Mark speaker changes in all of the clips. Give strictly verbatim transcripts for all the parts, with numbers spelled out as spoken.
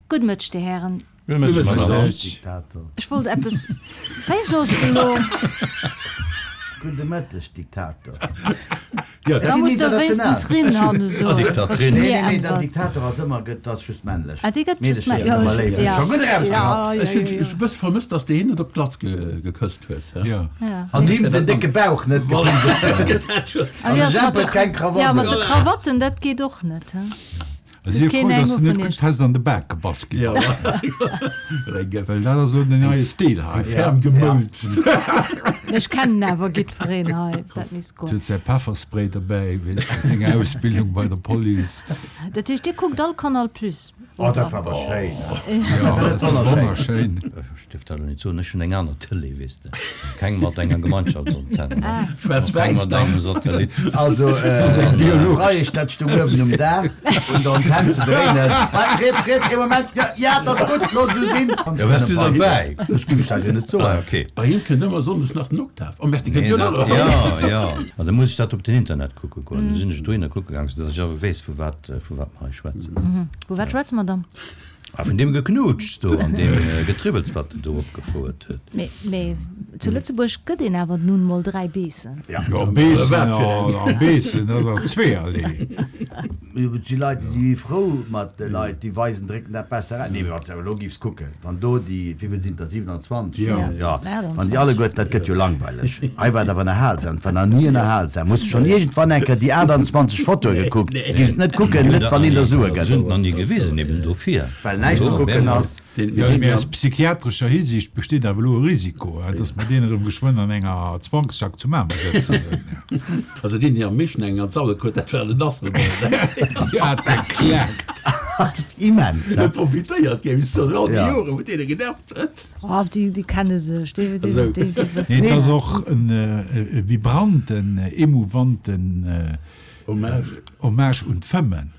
Speaker 1: Gudde Mëtteg, Dir Hären.
Speaker 2: Gudde Mëtteg, Madame.
Speaker 3: Diktator.
Speaker 1: Ech wollt eppes. Wéi soss du elo?
Speaker 3: Gudde Mëtteg, Diktator.
Speaker 1: Da muss de wéinstens Rinn han esou.
Speaker 2: Diktatrin.
Speaker 3: Nee, nee, nee, den Diktator ass ëmmer gëtt, ass just männlech.
Speaker 1: Ah, dee gëtt just
Speaker 3: Meedecher sinn ëmmer léif.
Speaker 1: Ja.
Speaker 3: Scho gutt erausgehatt.
Speaker 4: Ech hunn e bësse vermësst, dass de hien net op d'Glatz gekësst hues.
Speaker 2: Ja.
Speaker 3: An him den décke Bauch net gepinselt.
Speaker 1: An
Speaker 3: de Jemp huet keng Krawatt
Speaker 1: Ja, mat de
Speaker 3: un.
Speaker 1: Krawatten, dat geet och net, he?
Speaker 2: Si
Speaker 1: Keen
Speaker 2: frou, dass
Speaker 1: eng
Speaker 2: de net
Speaker 1: vun
Speaker 2: gutt
Speaker 1: iech.
Speaker 2: fest an de Bak gebass ginn
Speaker 4: Ja.
Speaker 2: ass. Well dat ass elo den neie Stil hei.
Speaker 4: Ferm gemoult.
Speaker 1: Ech kennen awer jiddwereen hei, dat misst goen.
Speaker 2: Huet säi Pefferspray derbäi, weess de, senger Ausbildung bei der Police.
Speaker 1: Dat heescht, Dir kuckt all Canal Plus?
Speaker 3: Oh, dat war awer schéin.
Speaker 2: Ja,
Speaker 3: dat wonnerschéin.
Speaker 2: wonnerschéin.
Speaker 5: Ech dierf dat elo net soen, ech hunn eng aner Tëlee, weess de. Keng mat enger Gemeinschaftsantenn.
Speaker 4: Schwaarz-wäiss
Speaker 5: Keng mat
Speaker 4: dann.
Speaker 5: engem Satellit.
Speaker 3: Also, äh, Freiesch, dat stung uewen um Daach un der Antenn ze dréinen. Wat, riets, riets, ee Moment, ja, ja, dat ass gutt, looss esou sinn.
Speaker 5: Ja, waars du derbäi?
Speaker 3: Ech géif ech dat jo net soen.
Speaker 5: Ah, okay.
Speaker 4: Bei him kënnt ëmmer sonndes nach den Oktav. Oh, Merde, déi kënnt
Speaker 5: Nee,
Speaker 4: jo nach.
Speaker 5: dat, ja, ja. Ma da muss ech dat op den Internet kucke goen. Du sinn ech dohinner kucke gaang, soudass ech awer weess, vu wat, vu wat mer hei schwätzen.
Speaker 1: Vu wat schwätze mer dann?
Speaker 5: Ah, vun deem Geknutschs do an deem Getribbels, wat en do opgefouert huet.
Speaker 1: Mee, mee zu Lëtzebuerg gëtt een awer nun mol dräi Beessen.
Speaker 2: Jo, Beessen, a Beessen, dat ass awer zweeërlee.
Speaker 3: Jo, et si Leit, déi si méi frou mat de Leit, déi weisen, drécken dat besser aus. Nee, mee wann s de awer elo giffs kucken, wann do déi, wéi vill sinn der, siwenanzwanzeg?
Speaker 2: Jo.
Speaker 3: Jo, wann déi alleguerten, dat gëtt jo langweileg. Hei war et awer erhalsam, et war nach ni erhalsam. Hues de schonn iergendwann eng Kéier déi aachtanzwanzeg Fotoe gekuckt? Giffs et net kucken, net wann een der Sue
Speaker 5: Ech
Speaker 3: gëtt.
Speaker 5: hunn et nach ni gewisen, eben dofir.
Speaker 3: Well näischt ze kucken ass.
Speaker 2: Jo, mee aus psychiatrescher Hisiicht besteet awer elo e Risiko, dass mer deen erëm geschwënn an enger Zwangsjack zu Mamer sëtzen hunn.
Speaker 4: Also deen, deen am meeschten eng an d'Salle krut, dat war den Asselborn.
Speaker 2: Déi hat geklaakt.
Speaker 3: Immens,
Speaker 4: Huet
Speaker 3: he?
Speaker 4: profitéiert, géif ech soen, all déi
Speaker 3: Ja.
Speaker 4: Joren, wou deen e genervt huet.
Speaker 1: Oh, déi, déi kenne sech, déi, déi,
Speaker 4: Esou.
Speaker 1: déi, déi
Speaker 2: Nee,
Speaker 1: wëssen.
Speaker 2: et ass och en vibranten, emouvanten
Speaker 4: Hommage.
Speaker 2: Hommage un d'Fëmmen.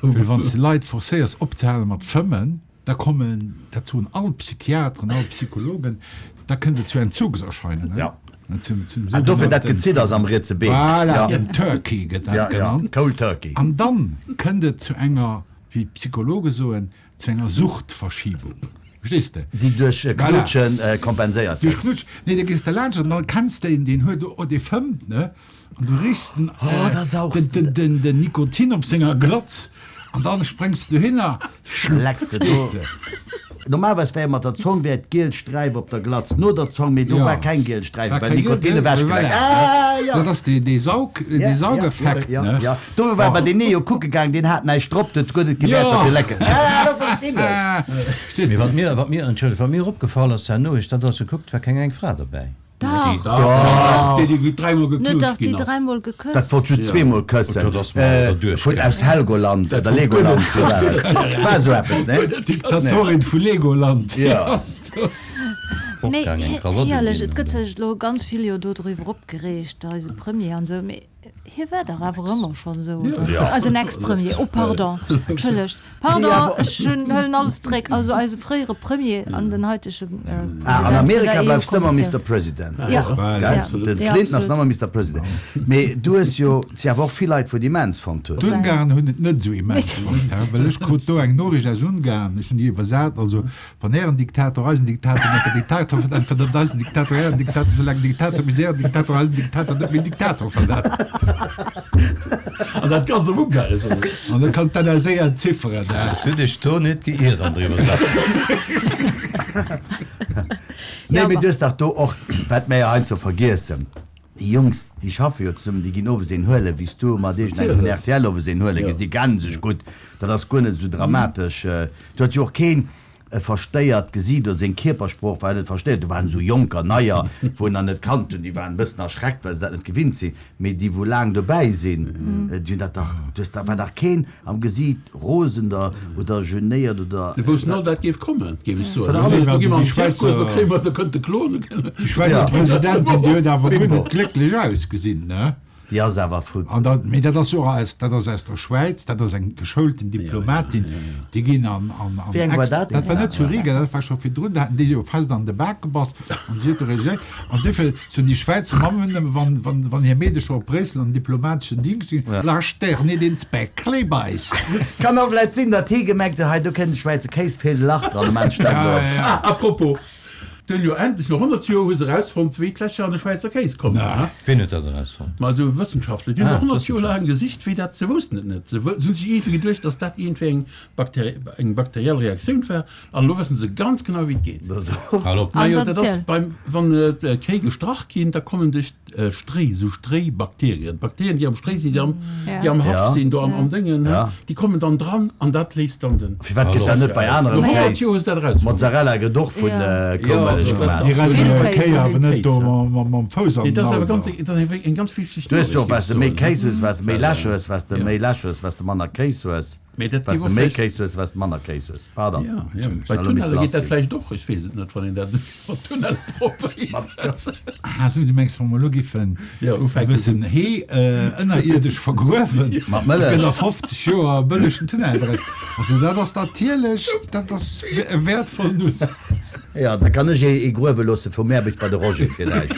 Speaker 2: Well wann s de Leit forcéiers opzehale mat fëmmen, da kommen, dat soen all Psychiateren, all Psychologen, da kënnt et zu Entzugserscheinungen.
Speaker 3: Ja.
Speaker 2: Zum, zum
Speaker 3: An dofir dat
Speaker 2: sougenannten-
Speaker 3: Gezidders am rietse Been.
Speaker 2: Voilà,
Speaker 3: Ja.
Speaker 2: den Turkey gëtt dat
Speaker 3: Ja, ja,
Speaker 2: genannt.
Speaker 3: Cold Turkey.
Speaker 2: An dann kënnt et zu enger, wéi d'Psychologe soen, zu enger Suchtverschiebung. Verstees de?
Speaker 3: Déi duerch
Speaker 2: Voilà.
Speaker 3: Knutschen kompenséiert
Speaker 2: Duerch
Speaker 3: gëtt.
Speaker 2: Knutsch. Nee, da gees de laanscht an dann kenns de een, deen huet, oh, dee fëmmt, ne? An du richs den,
Speaker 3: Oh, da saugs
Speaker 2: den, den, den, den Nikotin op senger Glatz an dann spréngs de dohinner, schlupp,
Speaker 3: Lecks de
Speaker 2: verstees
Speaker 3: do.
Speaker 2: de?
Speaker 3: Normalerweis wär mat der Zong wär d'giel Sträif op der Glatz no der Zong, mee do
Speaker 2: Ja.
Speaker 3: war keng giel Sträif,
Speaker 2: War
Speaker 3: well
Speaker 2: keng giel,
Speaker 3: Nikotin
Speaker 2: gell?
Speaker 3: ewechgeleckt.
Speaker 2: Voilà.
Speaker 3: Ah, ja.
Speaker 2: Dat ass dee, dee Saug, dee
Speaker 3: Ja, ja,
Speaker 2: Saugeffekt,
Speaker 3: ja,
Speaker 2: ne?
Speaker 3: ja. Do war bei den Neo kucke gaang, deen hat näischt drop, dat huet et gewäert,
Speaker 2: Ja.
Speaker 3: datt e lecken. Ah, do verstinn ech.
Speaker 2: Ah, verstees
Speaker 5: Mee
Speaker 2: de?
Speaker 5: wat mir, wat mir, entschëllegt, wat mir opgefall ass herno, ech dat ass gekuckt, war keng eng Fra derbäi.
Speaker 1: Dach.
Speaker 4: Dach, déi, déi dräimol
Speaker 1: Net
Speaker 4: geknutscht
Speaker 1: dach, déi
Speaker 4: ginn ass.
Speaker 1: dräimol
Speaker 3: Dat
Speaker 1: gekësst.
Speaker 3: wollt just zweemol këssen.
Speaker 5: Dat ass mer awer duerch
Speaker 3: Vun
Speaker 5: gaangen.
Speaker 3: aus Helgoland
Speaker 4: Dat
Speaker 3: oder
Speaker 4: wollt guer
Speaker 3: Legoland.
Speaker 4: net këssen.
Speaker 3: War esou eppes, ne?
Speaker 2: Diktatorin vu Legoland.
Speaker 3: Ja.
Speaker 5: Och
Speaker 1: Mee
Speaker 5: gaang eng Krawatt
Speaker 1: éierlech,
Speaker 5: uginn,
Speaker 1: et gëtt
Speaker 5: oder?
Speaker 1: sech elo ganz vill jo do driwwer opgereegt, eise Premier an esou, mee hie war dach awer ëmmer schonn esou, oder?
Speaker 3: Ja.
Speaker 1: Eisen Ex-Premier, oh pardon, entschëllegt, pardon, ech hunn, huelen alles zréck, also eise fréiere Premier an den haitege
Speaker 3: Ah, an
Speaker 1: President vun
Speaker 3: Amerika
Speaker 1: der
Speaker 3: bleifs de ëmmer
Speaker 1: E U-Kommissioun.
Speaker 3: Mister President.
Speaker 1: Ja,
Speaker 2: Voilà.
Speaker 3: Gell?
Speaker 1: ja,
Speaker 3: Den
Speaker 1: ja,
Speaker 3: Clinton ass
Speaker 1: absolut.
Speaker 3: nach ëmmer Mister President. Mee du hues jo, et si awer och vill Leit, wou et immens fonnt hunn.
Speaker 2: D'Ungarn hunn et net esou immens fonnt, he, well ech krut do eng Noriicht aus Ungarn, ech hunn déi iwwersat, also wann ären Diktator eisen Diktator nennt, der Diktator verdannt eisen Diktator ären Diktator, soulaang Diktator bis ären Diktator eisen Diktator net méi Diktator verdannt.
Speaker 4: An dat ganz am Ungaresch, oder?
Speaker 2: An da kann d'N S A entzifferen, he.
Speaker 5: Hues du dech do net geiert an der Iwwersetzung?
Speaker 3: Nee,
Speaker 1: Ja,
Speaker 3: mee
Speaker 1: ma-
Speaker 3: du hues dach do och, wat mir jo heiansdo vergiessen, déi Jungs, déi schaffe jo zesummen, déi ginn owes een huelen, wéi s du mat iergendengem vun R T L owes een huele gis, déi kenne sech gutt, dat ass guer net esou dramatesch. Do huet jo och keen e verstéiert Gesiit oder seng Kierpersprooch war net verstéiert. Do waren esou Jonker, Neier, wou en nach net kannt hunn, déi waren e bëssen erschreckt, well se dat net gewinnt sinn. Mee déi, wou laang dobäi sinn, déi hunn dat dach, du hues, da war dach keen am Gesiit rosen oder, oder genéiert oder.
Speaker 4: Se woussten all, dat géif kommen, géif ech soen.
Speaker 3: Von der
Speaker 4: Do gi mer
Speaker 2: Déi
Speaker 4: am Zirkus,
Speaker 2: Schwäizer,
Speaker 4: do kréie mer, do kënnt de Klon.
Speaker 2: déi Schwäizer
Speaker 3: Ja.
Speaker 2: Presidentin, déi huet awer guer
Speaker 3: Bingo.
Speaker 2: net glécklech ausgesinn, ne?
Speaker 3: Déi ass awer vu.
Speaker 2: An dat, mee dat ass jo och aus, dat ass aus der Schwäiz, dat ass eng geschoulten Diplomatin, déi ginn an, an, an
Speaker 3: Wéi eng war dat?
Speaker 2: Dat war net zu Riga, dat war scho virdrun, do haten déi jo fest an de Bak gebass an si huet do regéiert. An duerfir soen déi Schwäizer Mammen ëmmer, wann, wann, wann hir Meedecher op Bréissel an den diplomateschen Dingscht ginn, Lass der nit ins Bäckli beissen.
Speaker 3: Kann och vläit sinn, datt hie gemengt huet, hei do kënnt de Schwäizer Kéis, feelt e Lach dran, am Enn stellt
Speaker 4: Ah, à propos, D'hunn jo endlech no honnert Joer hu se erausfonnt, wéi d'Lächer an de Schwäizer Kéis kommen.
Speaker 5: Wien huet dat erausfonnt?
Speaker 4: Ma esou Wëssenschaftler, déi hunn
Speaker 5: Ah,
Speaker 4: no honnert Joer
Speaker 5: d'Wëssenschaftler.
Speaker 4: laang gesicht, wéi dat, se woussten et net. Se wou, se hunn sech iergendwéi geduecht, datt dat iergendwéi eng Bakteri, eng bakteriell Reaktioun war, an elo wëssen se ganz genau, wéi et geet.
Speaker 5: Hal op.
Speaker 4: Majo, dat ass
Speaker 1: Erziel.
Speaker 4: beim, wann d'Kéi gestrach ginn, da kommen duerch Stréi, esou Stréibakterien, d'Bakterien, déi am Stréi sinn, déi am, déi am Haff
Speaker 3: Ja.
Speaker 4: sinn, do am, am Déngen,
Speaker 3: Ja.
Speaker 4: déi kommen dann dran an dat léist dann den.
Speaker 3: Firwat gëtt dat net bei anerem
Speaker 4: No honnert
Speaker 3: Kéis?
Speaker 4: Joer hu se dat erausfonnt.
Speaker 3: Mozzarella gëtt och vun
Speaker 1: Ja.
Speaker 3: Koumëllech
Speaker 4: Ja,
Speaker 3: gemaach.
Speaker 2: Déi rennen
Speaker 1: Vill
Speaker 2: jo
Speaker 1: Kéis,
Speaker 2: Kéi
Speaker 1: ja.
Speaker 2: awer net do
Speaker 4: Kéis, ja.
Speaker 2: mam, mam Fouss an
Speaker 4: Nee,
Speaker 2: den
Speaker 4: dat ass awer
Speaker 2: Auto.
Speaker 4: ganz, dat ass eng, eng ganz wichteg
Speaker 3: Du hues jo och,
Speaker 4: Noriicht,
Speaker 3: wat s de méi
Speaker 4: géif ech soen,
Speaker 3: Kéis hues, wat s de méi
Speaker 4: Well,
Speaker 3: Läch hues, wat s de
Speaker 4: ja.
Speaker 3: méi Läch hues, wat s de manner Kéis hues.
Speaker 4: Mee dat
Speaker 3: Wat
Speaker 4: géif
Speaker 3: de
Speaker 4: och
Speaker 3: méi
Speaker 4: vläicht.
Speaker 3: Kéis hues, wat s de manner Kéis hues. Pardon.
Speaker 4: Ja, ja.
Speaker 3: Entschuldigung,
Speaker 4: Bei
Speaker 3: ech hunn elo
Speaker 4: Tunnelle
Speaker 3: missen
Speaker 4: geet dat
Speaker 3: lassginn.
Speaker 4: vläicht och, ech weess et net, wann een dat mat Tunnelle probéiert.
Speaker 2: Ah, sou, du mengs, wa mer elo giffen
Speaker 4: Ja,
Speaker 2: e
Speaker 4: ufänken.
Speaker 2: bëssen Hee ënnerierdesch vergruewen,
Speaker 3: Mat
Speaker 2: da
Speaker 3: Mëllech.
Speaker 2: gëtt a fofzeg Joer e bëllegen Tunnel draus. Also dat ass natierlech, dat ass e wäertvollen Usaz.
Speaker 3: Ja, da kann ech ee gruewe loosse vu mär bis bei de Roger villäicht.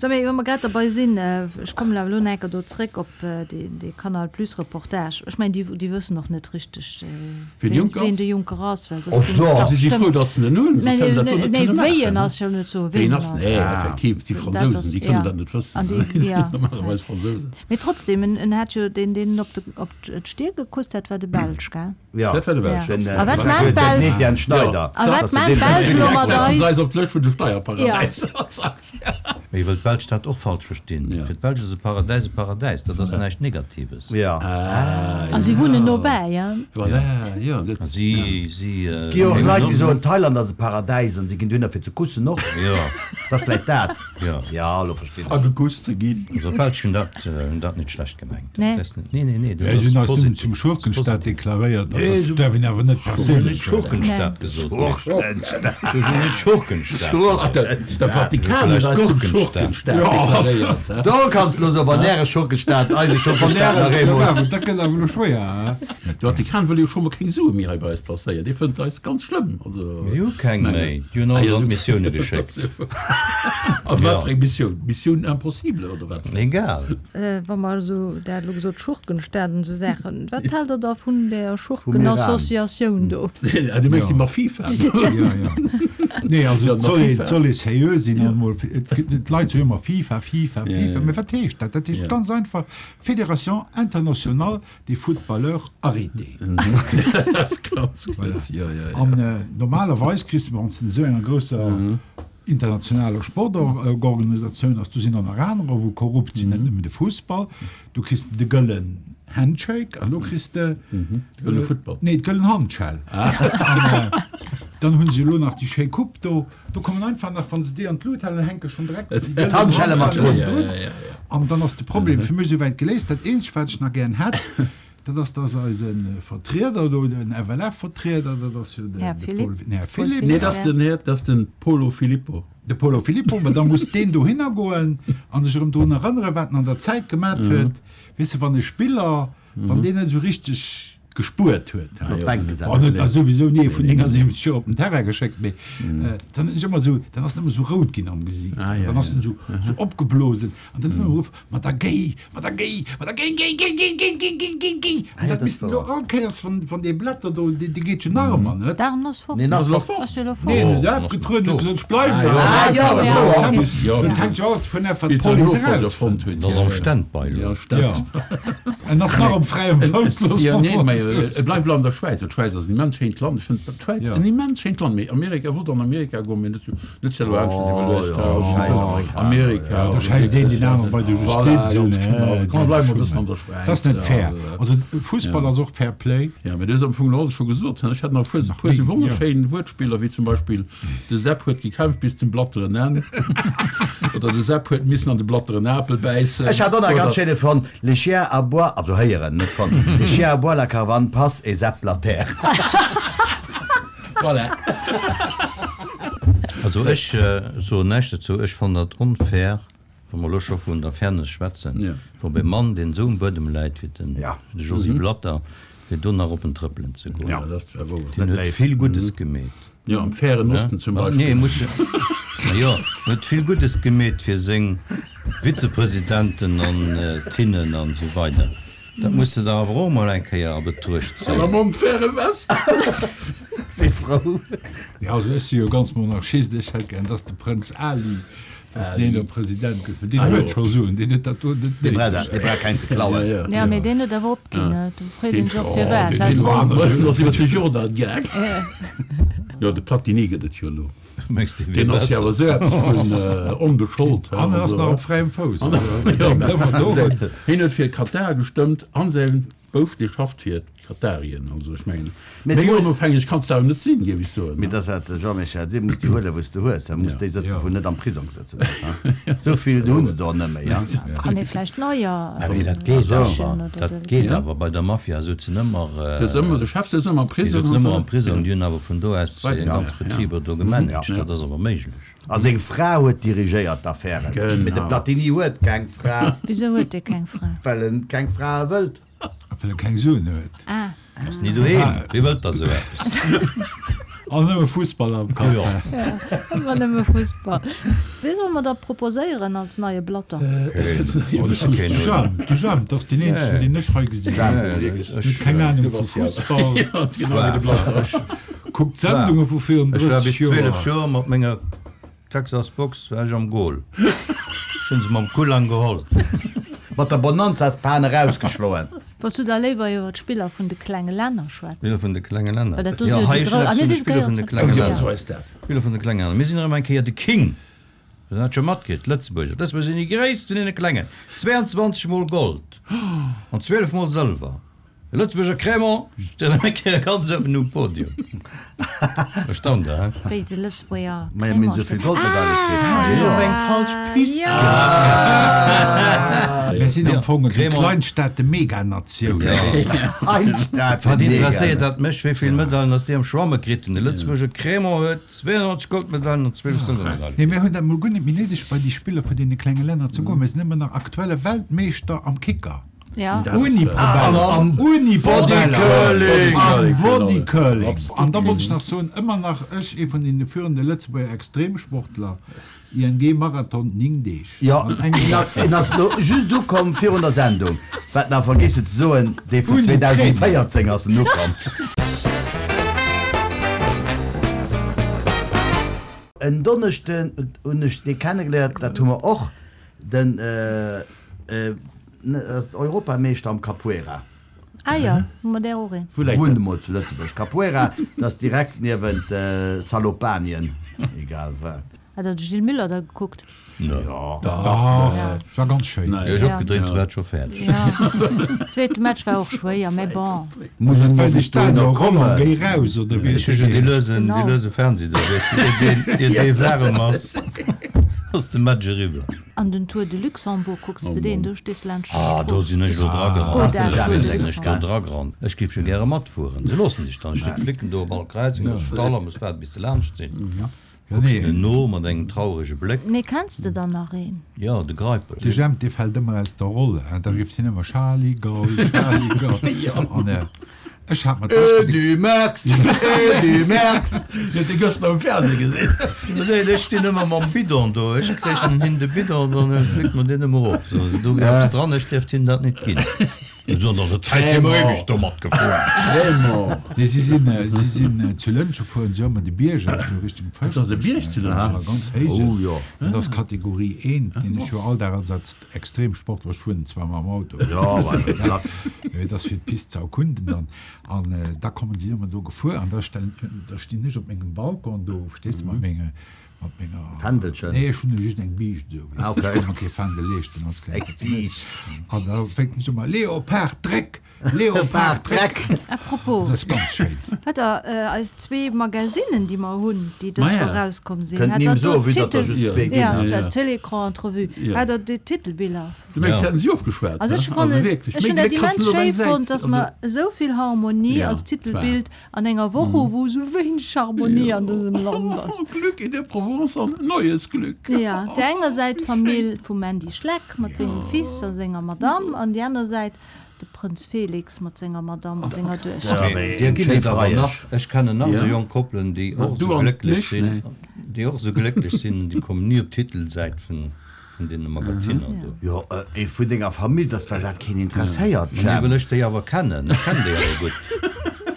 Speaker 1: Sag mee, wa mer grad derbei sinn, ech kommen awer elo nach eng Kéier do zréck op dee, dee Canal Plus Reportage. Ech mengen, déi, déi wëssen och net richteg,
Speaker 4: Wien de Juncker
Speaker 1: wien
Speaker 4: ass?
Speaker 1: de Juncker ass, well soss
Speaker 3: Oh,
Speaker 1: géing
Speaker 3: so.
Speaker 1: se dach
Speaker 4: Si si
Speaker 1: bestëmmt-
Speaker 4: frou, datt se en hunn, soss
Speaker 1: Nee,
Speaker 4: hätten se dat do
Speaker 1: nee,
Speaker 4: net
Speaker 1: nee,
Speaker 4: kënne
Speaker 1: wéi en
Speaker 4: maachen,
Speaker 1: ass, jo net soen,
Speaker 4: Wéi
Speaker 1: wien
Speaker 4: en
Speaker 1: en
Speaker 4: ass,
Speaker 1: ass.
Speaker 4: nee,
Speaker 3: Ah.
Speaker 4: effektiv, si
Speaker 1: Dat
Speaker 4: Fransousen,
Speaker 1: ass,
Speaker 4: déi kënnen
Speaker 1: ja.
Speaker 4: dat net wëssen.
Speaker 1: An déi, ja.
Speaker 4: Normalerweis Fransousen.
Speaker 1: Mee trotzdem, en, en hat jo deen, deen op de, op d'Stier gekusst hat, war de Belsch, gell?
Speaker 3: Ja.
Speaker 4: Dat war de Belsch.
Speaker 1: Ja.
Speaker 3: Den,
Speaker 1: A wat
Speaker 3: äh,
Speaker 1: maan
Speaker 3: den
Speaker 1: d'Belsch?
Speaker 3: Etienne Schneider.
Speaker 1: A wat
Speaker 3: Dass
Speaker 1: maan
Speaker 3: de deen
Speaker 1: d'Belsch elo mat
Speaker 4: Setzen se
Speaker 1: eis?
Speaker 4: eis op d'Lëscht vun de Steierparadäiser.
Speaker 5: Mee wëll d'Belsch dat och falsch verstinn.
Speaker 4: Ja.
Speaker 5: Fir d'Belsch ass e Paradäis e Paradäis, dat ass näischt Negatives.
Speaker 3: Ja.
Speaker 1: A si wunnen nobäi, ja.
Speaker 4: Voilà, ja, dat,
Speaker 5: A si, si, äh,
Speaker 3: Gi och Leit, déi soen, Thailand ass e Paradäis an si ginn dohinner fir ze kussen och.
Speaker 5: Ja.
Speaker 3: Dat ass vläicht dat.
Speaker 5: Ja.
Speaker 3: Ja, elo verstinn
Speaker 4: a
Speaker 3: ech.
Speaker 4: gekusst ze ginn.
Speaker 5: Also d'Belsch hunn dat, hunn dat net schlecht gemengt.
Speaker 1: Nee.
Speaker 5: Dat ass net, nee, nee, nee, dat
Speaker 2: Ja, si hunn
Speaker 5: ass
Speaker 2: eis nëmmen
Speaker 5: positiv.
Speaker 2: zum Schurkenstaat deklaréiert.
Speaker 4: Nee,
Speaker 2: Dat
Speaker 4: so-
Speaker 2: däerf een awer net
Speaker 5: Ech hunn net
Speaker 2: perséinlech soen.
Speaker 5: Schurkenstaat gesot.
Speaker 3: Schurkenstaat.
Speaker 5: Ech hunn net Schurkenstaat.
Speaker 4: Ah, de, de Vatikan huet eis zum Schurkenstaat deklaréiert. hä?
Speaker 3: Do kanns du lo soen, wann äre Schurkenstaat, eise Schurkenstaat nach eemol.
Speaker 2: Dat gëtt awer elo schwéier, hä?
Speaker 4: De Vatikan wëll jo scho mol keng Sue méi hei bei eis placéieren. Dee fënnt eis ganz schlëmm. Also,
Speaker 5: Déi hu keng méi. Déi hunn
Speaker 4: Ah,
Speaker 5: alles
Speaker 4: ja,
Speaker 5: an
Speaker 4: so-
Speaker 5: d'Missioune geschéckt.
Speaker 4: A wat
Speaker 5: Ja.
Speaker 4: fir eng Missioun? Mission impossible oder wat?
Speaker 5: Egal.
Speaker 1: Wa mer esou, der hat elo gesot, Schurkenstaat an esou Saachen. Wat haalt der da vun där
Speaker 3: Vum Iran.
Speaker 1: Schurkenassociatioun do?
Speaker 4: Ah, du mengs déi mat FIFA?
Speaker 2: Ja, ja. Nee, also
Speaker 4: Ja,
Speaker 2: et soll
Speaker 4: mat
Speaker 2: ee,
Speaker 4: FIFA.
Speaker 2: et soll ee seriö sinn an emol, et gëtt net, d'Leit soen ëmmer FIFA, FIFA,
Speaker 4: Ja,
Speaker 2: FIFA,
Speaker 4: ja.
Speaker 2: mee wat heescht dat? Dat heescht
Speaker 4: Ja.
Speaker 2: ganz einfach Fédération Internationale des Footballeurs Arrêtés.
Speaker 4: Dat ass ganz gutt. Ja, ja, ja.
Speaker 2: An normalerweis kriss de, wann s de esou enger grousser internationaler Sportorganisatioun ass, do sinn och nach anerer, wou korrupt sinn, net nëmmen de Fussball, du kriss de gëllen Handshake an elo kriss de
Speaker 4: De gëlle Football.
Speaker 2: Nee, d'gëllen Handschell. An dann hunn se elo nach déi schéi Coupe do. Do kommen einfach nach, wann se déi an d'Lut halen, hänke schonn direkt déi gëllen
Speaker 3: D'Handschelle mat
Speaker 2: Handschelle
Speaker 3: drun.
Speaker 2: drun.
Speaker 4: Ja, ja, ja.
Speaker 2: An dann ass de Problem fir mech esouwäit geléist. Dat Eenzegt, wat ech nach gären hätt, dat ass, dass eise Vertrieder do, den F L F-Vertrieder, dat ass jo de,
Speaker 1: Här
Speaker 2: de
Speaker 1: Philipp.
Speaker 2: Paul, nee, Här Philipp.
Speaker 4: Nee, dat ass den Här, dat ass den Polo Filippo.
Speaker 2: De Polo Filippo, ma da muss deen dohinner goen an sech erëm drun erënneren, wat en an der Zäit gemat huet. Weess de, wann e Spiller, wann deen net esou richteg gespuert huet,
Speaker 4: Ah,
Speaker 3: Op
Speaker 4: ja.
Speaker 3: d'Bänk gesat.
Speaker 2: Oh, net, also souwisou nie vun neunundsiebzig Joer op den Terrain geschéckt, mee dann ass ëmmer esou, dann ass en ëmmer esou rout ginn am Gesicht.
Speaker 4: Ah, ja,
Speaker 2: Dann ass
Speaker 4: ja.
Speaker 2: en esou, esou opgeblosen an dann ëmmer geruff, Ma da géi, ma da géi, ma da géi, géi, géi, géi, géi, géi, géi, géi, géi.
Speaker 3: Ah,
Speaker 2: An
Speaker 3: ja,
Speaker 2: dat
Speaker 3: dat
Speaker 2: misst
Speaker 3: war-
Speaker 2: elo all Kéiers van, van dee Blätter do, dee, dee geet jo nach ëmmer, net?
Speaker 1: D'Arn ass fort.
Speaker 3: Nee, ass
Speaker 4: Ass lo
Speaker 3: fort.
Speaker 4: fort.
Speaker 1: Ass jo lo fort.
Speaker 2: Nee,
Speaker 5: Oh,
Speaker 2: der
Speaker 5: ass
Speaker 2: hat getrueden,
Speaker 5: do.
Speaker 2: huet gesot, ech bleiwen.
Speaker 4: Ah, ja.
Speaker 2: Ah,
Speaker 3: Ah,
Speaker 2: ja,
Speaker 3: ja,
Speaker 2: das
Speaker 3: ja.
Speaker 2: war
Speaker 4: Ja.
Speaker 2: ja. Dann hänkt jo alles vun der
Speaker 4: Bis se
Speaker 2: Police
Speaker 4: Nofolger
Speaker 2: eraus.
Speaker 4: fonnt huet.
Speaker 5: Dat ass
Speaker 4: Ja,
Speaker 5: am
Speaker 4: ja.
Speaker 5: Standby elo.
Speaker 4: Ja, Stand.
Speaker 2: Ja. En ass nach op fräiem Fouss, looss
Speaker 4: Ja,
Speaker 2: mer
Speaker 4: nee,
Speaker 2: mol
Speaker 4: mee,
Speaker 2: soen.
Speaker 4: et bleift elo an der Schwäiz. D'Schwäiz ass en immens schéint Land. Ech fënn d'Schwäiz
Speaker 2: Ja.
Speaker 4: en immens schéint Land. Mee Amerika wollt an Amerika goen, mee net sou, net sou elo aneschters
Speaker 3: Oh,
Speaker 4: iwwerluecht.
Speaker 3: ja,
Speaker 4: Ja,
Speaker 3: scheiß Amerika.
Speaker 4: Amerika.
Speaker 2: Ja, da schäisst een deen aneren bei der
Speaker 4: Voilà,
Speaker 2: Justiz
Speaker 4: ganz
Speaker 2: un,
Speaker 4: genau.
Speaker 2: äh,
Speaker 4: Komm, bleiwen mer e
Speaker 2: Schumann.
Speaker 4: bëssen an der Schwäiz.
Speaker 2: Dat ass net
Speaker 4: Ja,
Speaker 2: fair.
Speaker 4: also,
Speaker 2: Also Fussball
Speaker 4: Ja.
Speaker 2: ass och Fair Play.
Speaker 4: Ja, mee du hues am Fong alles scho gesot. Ech hat nach e puer, puer sou
Speaker 2: méi,
Speaker 4: wonnerschéin Wuertspiller, wéi zum Beispill de Sepp huet gekämpft bis zum blatteren Enn. Oder de Sepp huet missen an de blatteren Apel bäissen.
Speaker 3: Ech hat och nach
Speaker 4: Oder
Speaker 3: ganz schéine fonnt, Les chiens aboient, also héieren, net fonnt, Les chiens aboient, la caravane passe et zappe la terre.
Speaker 4: Voilà.
Speaker 5: Also ech soen näischt dozou. Ech fannen dat onfair, wa mer elo scho vun der Fairness schwätzen, wa beim Mann, deen esou um Buedem läit wéi de Josy Blatter, fir do nach op en trëppelen ze goen. Deen huet vill Guddes gemeet.
Speaker 4: Jo, am Fären Osten zum Beispill.
Speaker 5: Nee, muss jo, en huet vill Guddes gemeet fir seng Vizepresidenten an Tinnen an esou weider. Dat muss de der awer och emol eng Kéier a Betruecht
Speaker 4: zéien. An am Färe West.
Speaker 3: Si frou.
Speaker 2: Jo, also ech si jo ganz Monarchist. Ech hätt gär, dass de Prënz Ali, dass deen do President gëtt, well deen huet scho Suen, deen huet dat do net
Speaker 3: Dee brauch
Speaker 2: néideg.
Speaker 3: dat, dee brauch keng ze klauen.
Speaker 1: Jo, mee deen huet awer opginn. Do freet een sech och firwat.
Speaker 2: Deen
Speaker 1: Vläicht
Speaker 2: war
Speaker 1: wollt.
Speaker 2: aner.
Speaker 4: Deen ass iwwer de Jordan gaang. Jo, de Platini gëtt et jo elo.
Speaker 5: Mengs de, wier
Speaker 4: Deen ass jo awer
Speaker 5: besser?
Speaker 4: esou eppes vun onbeschollt.
Speaker 2: An en ass nach op fräiem Fouss. Also,
Speaker 4: Hien huet fir Katar gestëmmt an säin Bouf, dee schafft fir d'Katarien. Also ech mengen, méi onofhängeg kanns de awer net sinn, géif ech soen.
Speaker 3: Mee dat ass de Jean-Michel, si muss déi huelen, wou s de hues. Da muss déi sëtzen, wou net am Prisong sëtzen. Esou vill hunn se der net méi.
Speaker 1: Kann ee vläicht neier
Speaker 5: Mee dat geet
Speaker 1: sichen
Speaker 5: awer,
Speaker 1: oder
Speaker 5: dat geet awer. Bei der Mafia souzen ëmmer,
Speaker 4: Sëtz ëmmer, de Chef sëtzt ëmmer am
Speaker 5: déi
Speaker 4: Prisong.
Speaker 5: souzen ëmmer am Prisong, déi hunn awer vun do aus hir ganz Betriber do gemanagt. Dat ass awer méiglech.
Speaker 3: A seng Fra huet dirigéiert d'Affären. Mee de Platini huet keng Fra.
Speaker 1: Wisou huet dee keng Fra?
Speaker 3: Well en keng Frae wëllt.
Speaker 2: Well e keng Suen huet.
Speaker 1: Ah.
Speaker 5: Ass ni doheem. Wie wëllt da sou eppes?
Speaker 2: An nëmme Fussball am Kapp.
Speaker 5: Jo.
Speaker 1: Ëmmer nëmme Fussball. Wee solle mer da proposéieren als neie Blatter?
Speaker 2: Oh, de Jam, de Jam, dat ass deen eenzegen, deen ech hei gesinn hunn. Huet keng Anung vu Fussball. Kuckt Sendunge vu virun
Speaker 5: Ech war
Speaker 2: drësseg
Speaker 5: bis zwielef
Speaker 2: Joer.
Speaker 5: Joer mat menger Texas Box war ech am Goal. Ech hunn se mam Kullang geholl.
Speaker 3: Mat der Bonanzaspan erausgeschloen.
Speaker 1: Wolls du da léiwer iwwer d'Spiller vun de klenge Länner schwätzen?
Speaker 5: Spiller vun de klenge Länner.
Speaker 1: Well dat do
Speaker 5: Jo,
Speaker 1: si jo
Speaker 5: hei
Speaker 1: déi
Speaker 5: ech
Speaker 1: grou.
Speaker 5: hunn
Speaker 1: Ah,
Speaker 5: eppes
Speaker 1: mir
Speaker 5: vun de
Speaker 1: si
Speaker 5: Spiller vun de
Speaker 1: gehéiert.
Speaker 5: klenge
Speaker 4: Jo,
Speaker 5: Länner.
Speaker 4: sou ass dat.
Speaker 5: Spiller vun de klenge Länner. Mir sinn erëm eng Kéier de King. Hutt Der dat scho matkritt? D'Lëtzebuerger. D'Lëtzebuerger sinn déi gréisst vun deene Klengen. Zweiundzwanzeg Mol Gold an zwielef Mol Sëlwer. De Lëtzebuerger Crémant steet erëm eng Kéier ganz uewen um Podium. Erstaunt der, hä?
Speaker 1: Wéi de Lëtzebuerger
Speaker 3: Majo, mir hunn
Speaker 1: Crémant
Speaker 3: esou vill
Speaker 1: steet.
Speaker 3: Goldmedaile kritt.
Speaker 1: Ah,
Speaker 5: Sinn op eng falsch Pist
Speaker 2: Mir sinn am Fong déi
Speaker 5: Crémant.
Speaker 2: Kleinstaate-Meganatioun.
Speaker 3: Kleinstaate
Speaker 5: Wat interesséiert dat mech, wéi vill Medailen dass déi am Schwamme kriten? De Lëtzebuerger Crémant huet zweeënnonzeg Goldmedailen an zwielef Sëlwermedailen.
Speaker 2: Nee, mir hunn dat mol guer net méi néideg, bei déi Spiller vun deene klenge Länner ze goen. Mir sinn ëmmer nach aktuelle Weltmeeschter am Kicker.
Speaker 1: Ja.
Speaker 2: Uni Probeller. Uni
Speaker 3: Bodycurling.
Speaker 2: Bodycurling. An da wollt ech nach soen, ëmmer nach ech, ee vun den führende Lëtzebuerger Extremsportler, I N G Marathon ning Deeg.
Speaker 3: Jo,
Speaker 2: An engem
Speaker 3: en ass, en ass lo just ukomm virun der Sendung. Wat nach vergiss huet ze soen, dee vun
Speaker 2: Uni
Speaker 3: zweedausendvéierzéng ass en ukomm. En Donneschden hunn ech dee kennegeléiert, dat hu mer och, den Europameeschter am Capoeira.
Speaker 1: Ah ja, hu mer där och een.
Speaker 4: Wou läit
Speaker 3: Wunnt
Speaker 4: dat?
Speaker 3: emol zu Lëtzebuerg. Capoeira, dat ass direkt niewent Salopanien, egal wat.
Speaker 1: Hat der de Gilles Müller da gekuckt?
Speaker 3: Jo.
Speaker 2: Dach, war ganz schéin.
Speaker 5: Ier ech opgedréint hu war et scho fäerdeg.
Speaker 1: Ja, zweete Match war och schwéier, mä bon.
Speaker 3: Muss et
Speaker 2: Well de
Speaker 3: bis
Speaker 2: Stadion
Speaker 3: dohinner
Speaker 2: Roland
Speaker 3: kommen?
Speaker 2: géi raus, oder wéi
Speaker 5: Ech hu jo dee luesen, dee luese Fernseh do, weess de, ier deen, ier dee waarem ass, ass de Match eriwwer.
Speaker 1: An den Tour de Luxembourg, kucks de deen? Do stees laanscht de
Speaker 5: Ah, do
Speaker 1: Strooss.
Speaker 5: sinn ech elo dragerannt.
Speaker 1: Gutt,
Speaker 5: Do
Speaker 1: Tour de
Speaker 5: sinn ech do
Speaker 1: Luxembourg.
Speaker 5: dragerannt. Ech géif jo gäre matfueren. Se loossen dech dann. Steet d'Flicken do op all Kräizung, ass Stall a muss waarden, bis se laanscht sinn. Kucks
Speaker 2: Nee.
Speaker 5: en no mat engem traurege Bléck.
Speaker 1: Mee kenns de dann nach een?
Speaker 5: Jo, de Greipel.
Speaker 2: De Jemp, dee fält ëmmer aus der Roll. Da rifft hien ëmmer Charlie Gaul, Charlie Gaul. An ech hat mer d'lescht
Speaker 3: Edy Merckx, Edy Merckx.
Speaker 4: Huet de gëschter am Fernseh gesinn.
Speaker 5: Nee, ech stinn ëmmer mam Bidon do. Ech kréichen hin de Bidon, dann fléckt mer deen ëmmer of. So, do wier eppes dran, ech dierft him dat net ginn. An der Zäit si mer ewech domat gefuer.
Speaker 4: Crémant.
Speaker 2: Nee, si sinn, si sinn zu Lëntge fueren si ëmmer de Bierg op, esou Richtung
Speaker 4: Dat ass e Bierg zu Lëntgen?
Speaker 2: Ja, ganz héich.
Speaker 3: Oh jo.
Speaker 2: Dat ass Kategorie eent, deen ech jo all Dag als als Extremsportler, ech fueren zwar mam Auto.
Speaker 3: Ja, well Lachs.
Speaker 2: Mee dat ass fir d'Pist ze erkunden dann. An da kommen si ëmmer do gefuer an da stellen, da stinn ech op mengem Balkon do, verstees du, mat menge, mat menger
Speaker 3: Fändelchen.
Speaker 2: Nee, ech hunn just eng Biischt esou.
Speaker 3: Ah, okay.
Speaker 2: Ech kann mir kee Fändel leeschten, als
Speaker 3: Eng
Speaker 2: Kleng.
Speaker 3: Biischt.
Speaker 2: An da fänkt ech ëmmer, Leopard, Dréck! Leopard Dreck.
Speaker 1: Apropos.
Speaker 2: Dat ass ganz schéin.
Speaker 1: Hat der eis zwee Magazinen, déi mer hunn, déi dës
Speaker 4: Maja.
Speaker 1: Woch erauskomm sinn,
Speaker 3: Kënnt
Speaker 1: hat
Speaker 3: Nimm
Speaker 1: der do
Speaker 3: soen, vue datt der
Speaker 1: d'Titel,
Speaker 3: just zwee ginn,
Speaker 1: ja,
Speaker 3: ne?
Speaker 1: der Télécran Entrevue,
Speaker 4: Ja.
Speaker 1: hat der déi Titelbiller?
Speaker 4: Du mengs,
Speaker 5: Ja.
Speaker 4: se hätten si ofgeschwat,
Speaker 1: Also
Speaker 4: hä?
Speaker 1: ech fannen,
Speaker 4: wierklech,
Speaker 1: ech
Speaker 4: méi
Speaker 1: hunn dat
Speaker 4: Gléck kannst
Speaker 1: immens
Speaker 4: du net op
Speaker 1: schéi
Speaker 4: eng Säit.
Speaker 1: fonnt, dass
Speaker 4: Also,
Speaker 1: mer esou vill Harmonie
Speaker 4: Ja,
Speaker 1: als
Speaker 4: zwar.
Speaker 1: Titelbild an enger Woch hu wou esou wéineg Harmonie an dësem Land ass.
Speaker 4: Oh, Glück in der Provence an neues Glück.
Speaker 1: Ja, op der enger Säit d'Famill vum Mandy Schleck mat sengem Fils a senger Madame, an déi aner Säit de Prënz Felix mat senger Madame a senger Duechter.
Speaker 3: Ja, mee
Speaker 5: Dir ginn
Speaker 3: schéi
Speaker 5: et awer
Speaker 3: Freiesch.
Speaker 5: nach, ech kennen nach
Speaker 4: Ja.
Speaker 5: esou jonk Koppelen, déi och
Speaker 4: Du
Speaker 5: esou
Speaker 4: an
Speaker 5: glécklech
Speaker 4: mich?
Speaker 5: sinn,
Speaker 4: Nee.
Speaker 5: déi och esou glécklech sinn, déi kommen ni op d'Titelsäit vun vun deene Magaziner do.
Speaker 3: Jo, ee vun denger Famill, dass well dat keen interesséiert,
Speaker 5: Mee
Speaker 3: Jemp.
Speaker 5: wëll ech déi awer kennen, ech kennen déi awer gutt.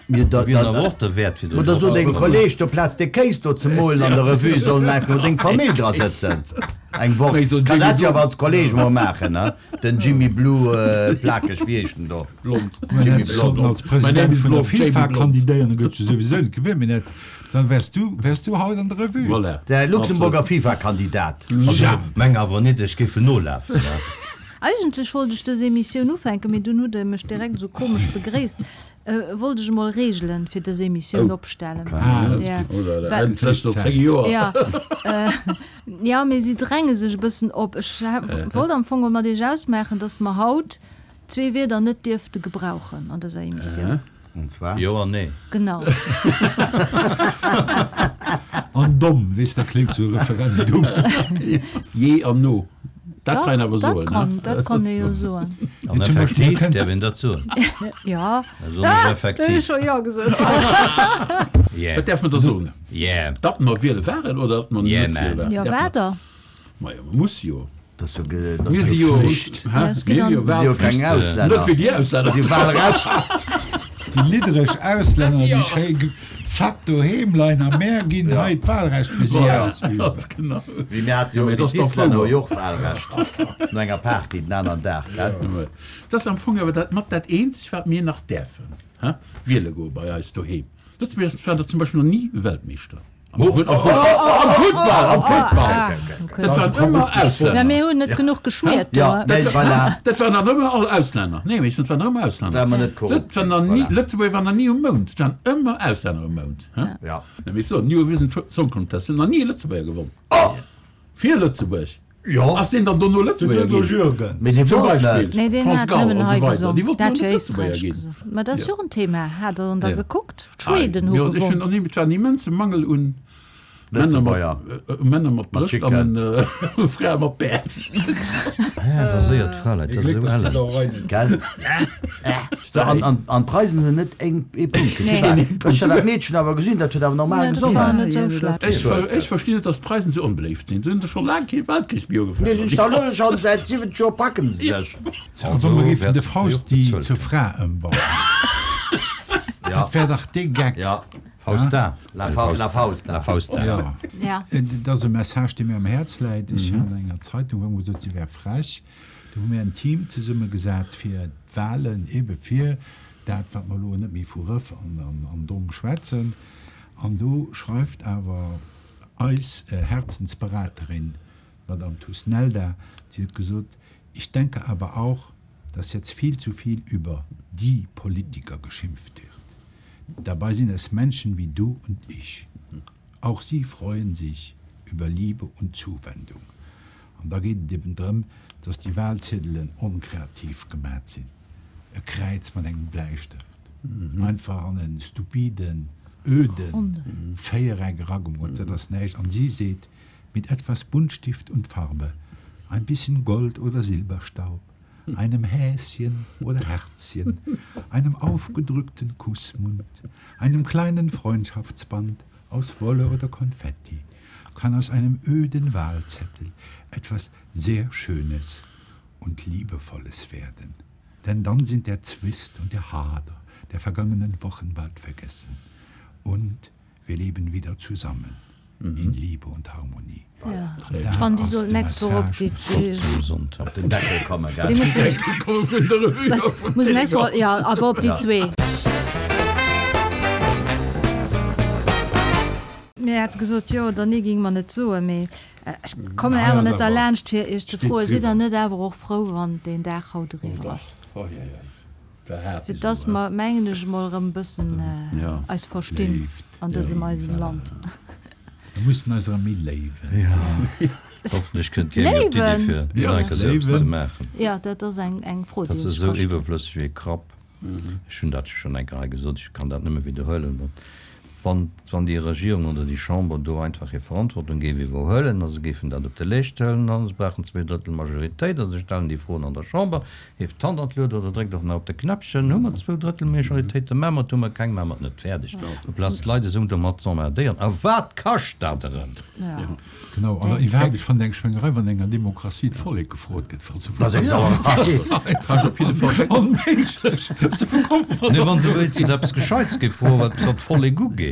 Speaker 3: Mir da,
Speaker 5: Wier
Speaker 3: da,
Speaker 5: awer och derwäert fir
Speaker 3: Oder so dengem Kolleg do Plaz de Kéis do ze molen an der Revue sollen einfach nur deng Famill dra sëtzen. Eng Woch.
Speaker 4: Mee so
Speaker 3: Kann
Speaker 4: Jimmy
Speaker 3: dat jo
Speaker 4: Blue.
Speaker 3: awer als Kolleg mol maachen, ne? Den Jimmy Blue äh, Plakeg, wéi heescht den do?
Speaker 4: Blond.
Speaker 3: Jimmy
Speaker 2: Sollten
Speaker 3: Blond.
Speaker 2: als
Speaker 4: My name
Speaker 2: President
Speaker 4: is
Speaker 2: vun der
Speaker 4: Blond, Jamie
Speaker 2: FIFA
Speaker 4: Blond.
Speaker 2: kandidéieren, dann gëtt du souwisou net gewielt, mee net, dann wärs du, wärs du haut an der Revue.
Speaker 4: Voilà.
Speaker 3: Der Luxemburger FIFA-Kandidat.
Speaker 5: Also, meng awer net, ech géif nolafen, ne?
Speaker 1: Eigentlech wollt ech dës Emissioun ufänken, mee dunn hutt der mech direkt esou komesch begréisst. Äh, wollt ech emol Reegelen fir dës Emissioun
Speaker 4: Oh.
Speaker 1: opstellen.
Speaker 2: Ah,
Speaker 4: Ja,
Speaker 1: Ja.
Speaker 4: Oder
Speaker 1: Well-
Speaker 4: endlech no zéng Joer.
Speaker 1: Ja, äh, ja, mee si dränge sech e bëssen op. Ech wollt am Fong mat iech ausmaachen, dass mer haut zwee Wierder net dierfte gebrauchen an dëser Emissioun.
Speaker 3: Und zwar?
Speaker 5: Jo an nee.
Speaker 1: Genau.
Speaker 2: An domm, weess, dat kléngt sou Referendum.
Speaker 4: Je an no. Dat
Speaker 1: Dach,
Speaker 4: kann een awer
Speaker 1: dat
Speaker 4: soen,
Speaker 1: kann,
Speaker 4: ne?
Speaker 1: dat kann ee jo soen.
Speaker 5: An
Speaker 2: Zum Beispill,
Speaker 5: effektiv
Speaker 2: man kënnt-
Speaker 5: däerf een dat soen.
Speaker 1: Ja.
Speaker 5: Also net
Speaker 1: Ah, da hu
Speaker 5: effektiv.
Speaker 1: ech scho ja gesot.
Speaker 5: Yeah.
Speaker 4: Wat däerf mer da soen?
Speaker 5: Yeah.
Speaker 4: Dat mer wiele waren oder dat mer
Speaker 5: Yeah,
Speaker 4: net
Speaker 5: man.
Speaker 4: wiele waren?
Speaker 1: Ja,
Speaker 4: Däerf mer-
Speaker 1: wat da?
Speaker 4: Ma ja, man muss jo.
Speaker 3: Dat ass jo ge- dat
Speaker 4: Mir
Speaker 3: ass
Speaker 4: si
Speaker 3: jo
Speaker 4: jo
Speaker 3: Pflicht.
Speaker 4: Hä?
Speaker 1: Ja, es geht
Speaker 4: Mir
Speaker 1: an-
Speaker 4: jo
Speaker 3: Si jo keng
Speaker 4: Wahlpflicht.
Speaker 3: Auslänner.
Speaker 4: Net wéi déi Auslänner.
Speaker 3: Déi Wahlrecht.
Speaker 2: Déi liddereg Auslänner, déi schéi ge- fett doheem leien am Meer, ginn hei d'Wahlrecht fir si
Speaker 4: Voilà,
Speaker 2: ausüben.
Speaker 4: ganz genau.
Speaker 3: Wéi mir hat jo
Speaker 4: Ja, mee
Speaker 3: déi
Speaker 4: dat ass doch
Speaker 3: Islänner
Speaker 4: wouer.
Speaker 3: jo och Wahlrecht. No enger Party den aneren Dag, gell?
Speaker 4: Ja. Dat ass am Fong awer dat mat dat eenzegt, wat mir nach däerfen, hä? Wiele goe bei eis doheem. Lëtzebuerg war da zum Beispill nach ni Weltmeeschter. Am Fu- am Fu- am Futtball, am Futtball.
Speaker 1: Ah, okay.
Speaker 4: Dat waren ëmmer
Speaker 1: Ja,
Speaker 4: Auslänner.
Speaker 1: mir hunn net genuch geschmiert do.
Speaker 3: Ja, nee, voilà.
Speaker 4: Dat waren dann ëmmer all Auslänner. Nee, weess, dat waren ëmmer Auslänner.
Speaker 3: Well mer net korrupt
Speaker 4: Dat waren dann
Speaker 3: sinn,
Speaker 4: ni,
Speaker 3: voilà.
Speaker 4: Lëtzebuerg war nach ni um Mound. Dat waren ëmmer Auslänner um Mound, hä?
Speaker 3: Ja.
Speaker 4: Nee, weess du, Eurovision Song Contest huet nach ni e Lëtzebuerger gewonnen.
Speaker 3: Oh!
Speaker 4: Fir Lëtzebuerg.
Speaker 3: Jo.
Speaker 4: Ass deen dann dono Lëtzebuerger
Speaker 2: Den Udo
Speaker 4: ginn?
Speaker 2: Jürgens.
Speaker 3: Mee si
Speaker 4: Zum
Speaker 3: wollten
Speaker 4: Beispill.
Speaker 3: net.
Speaker 1: Nee, deen
Speaker 4: France
Speaker 1: hat
Speaker 4: Gall
Speaker 1: nëmmen
Speaker 4: und
Speaker 1: hei
Speaker 4: so weiter.
Speaker 1: gesungen.
Speaker 4: Déi wollten
Speaker 1: Dat
Speaker 4: net
Speaker 1: fir
Speaker 4: Lëtzebuerger
Speaker 1: Éisträich
Speaker 4: ginn.
Speaker 1: gesungen. Ma dat ass
Speaker 4: Ja.
Speaker 1: jo och en Thema. Hat der da
Speaker 4: Ja.
Speaker 1: gekuckt? D'Schweden hu
Speaker 4: Jo, ech hunn
Speaker 1: gewonnen.
Speaker 4: nach ni, et war en immense Mangel un Männer
Speaker 3: Lëtzebuerger.
Speaker 4: mat, äh, Männer mat
Speaker 3: Mat
Speaker 4: Brëscht an
Speaker 3: Chicken.
Speaker 4: äh, Frae mat Bäert.
Speaker 5: Ja, raséiert Fraleit, dat ass
Speaker 2: Glück,
Speaker 5: esou
Speaker 2: dass déi
Speaker 5: ellen.
Speaker 2: Sauerei net.
Speaker 3: Gell? So, an, an, an d'Preisen hunn net eng ee Punkt
Speaker 1: Nee.
Speaker 3: gekritt. Ech hat dat Meedchen awer gesinn, dat huet awer normal
Speaker 1: Ja, dat war
Speaker 3: gesungen.
Speaker 1: net sou schlecht.
Speaker 4: Ech, ver, ech verstinn net, dass d'Preisen sou onbeléift sinn. Se hunn scho laang kee Weltkrich méi
Speaker 3: Nee,
Speaker 4: ugefaangen.
Speaker 3: sinn da lo schon seit siwwenzeg Joer packen se sech.
Speaker 2: So, also, mer géifen
Speaker 5: wäert
Speaker 2: de Fausti
Speaker 5: jo och
Speaker 2: zur
Speaker 5: bezuelt
Speaker 2: Fra ëmbauen.
Speaker 3: Ja.
Speaker 2: Dat wär dach dee Geck.
Speaker 3: Ja.
Speaker 5: Fausta.
Speaker 3: La Fa- La Fausta.
Speaker 5: La Fausta.
Speaker 2: Ja.
Speaker 1: Ja.
Speaker 2: Äh, Dat ass e Message, dee mir am Häerz läit. Ech hat an enger Zeitung, wou mer gesot, si wär frech. Do hu mir en Team zesummegesat fir d'Wahlen, ebe fir dat, wat mer elo net méi vu Rëff an, an, an Dong schwätzen. An do schreift awer eis äh, Herzensberaterin, Madame Thusnelda, si huet gesot, ich denke aber auch, dass jetzt viel zu viel über die Politiker geschimpft wird. Dabei sind es Menschen wie du und ich. Auch sie freuen sich über Liebe und Zuwendung. An da geet et eben drëm, dass déi Wahlziedelen onkreativ gemat sinn. E Kräiz mat engem Bläistëft. Einfach an en stupiden, öden Véiereck eragemoolt, dat ass näischt. An si seet, mit etwas Buntstift und Farbe, ein bisschen Gold oder Silberstaub, einem Häschen oder Herzchen, einem aufgedrückten Kussmund, einem kleinen Freundschaftsband aus Wolle oder Konfetti, kann aus einem öden Wahlzettel etwas sehr Schönes und Liebevolles werden. Denn dann sind der Zwist und der Hader der vergangenen Wochen bald vergessen. Und wir leben wieder zusammen in Liebe und Harmonie.
Speaker 1: Ja.
Speaker 2: Da
Speaker 1: Ech fannen, déi
Speaker 2: ass
Speaker 1: soll
Speaker 2: de
Speaker 1: nächst Woch op
Speaker 2: Message.
Speaker 1: déi, déi,
Speaker 5: Zum Sonntag.
Speaker 3: Op den Deckel kommen, gell?
Speaker 1: déi mussen, mussen nächst Woch, ja, awer op déi zwee. Mir hat gesot, jo oder nee géing mer net soen, mee ech kommen
Speaker 2: Nei,
Speaker 1: awer
Speaker 2: ass
Speaker 1: net
Speaker 2: awer
Speaker 1: derlaanscht fir iech ze
Speaker 2: steet
Speaker 1: froen, sidd der
Speaker 2: driwwer.
Speaker 1: net awer och frou, wann deen Dag haut eriwwer ass?
Speaker 4: Oh, ja, ja.
Speaker 1: Fir dass mer, mengen ech emol, erëm e bëssen eis verstinn an dësem eisem Land.
Speaker 2: Mir mussen eis erëm méi léiwen.
Speaker 5: Hoffentlech kënnt kee méi op d'Iddi fir nach eng Kéier eppes ze maachen.
Speaker 1: Jo, dat ass eng Fro, déi
Speaker 5: Dat
Speaker 1: ee
Speaker 5: ass
Speaker 1: sech
Speaker 5: esou
Speaker 1: ka stellen.
Speaker 5: iwwerflësseg wéi e Krapp. Ech hunn dat schonn eng Kéier hei gesot, ech kann dat nëmme widderhuelen. Wann, wann déi Regierung oder déi Chamber do einfach hir Verantwortung géif iwwerhuelen a se géifen dat op de Leescht huelen a se brauchen zwee Drëttel Majoritéit a se stellen déi Froen an der Chamber, hieft d'Hand an d'Luet oder dréckt och nach op de Knäppchen, hu mer zwou Drëttel Majoritéit, da maache mer et, hu mer keng, maache mer et net. Fäerdeg. Amplaz d'Leit esou domat z'emmerdéieren. A wat kascht dat erëm?
Speaker 2: Genau, an iwwerhaapt, ech fannen eng Schwéngerei, wann enger Demokratie d'Vollek gefrot gëtt, wat se
Speaker 3: Dat ass eng Sauerei.
Speaker 4: Kascht op jidde Fall.
Speaker 2: Onméiglech!
Speaker 5: Nee, wa se wéinstens eppes Gescheits géif froen, wat eppes wat d'Vollek ugeet.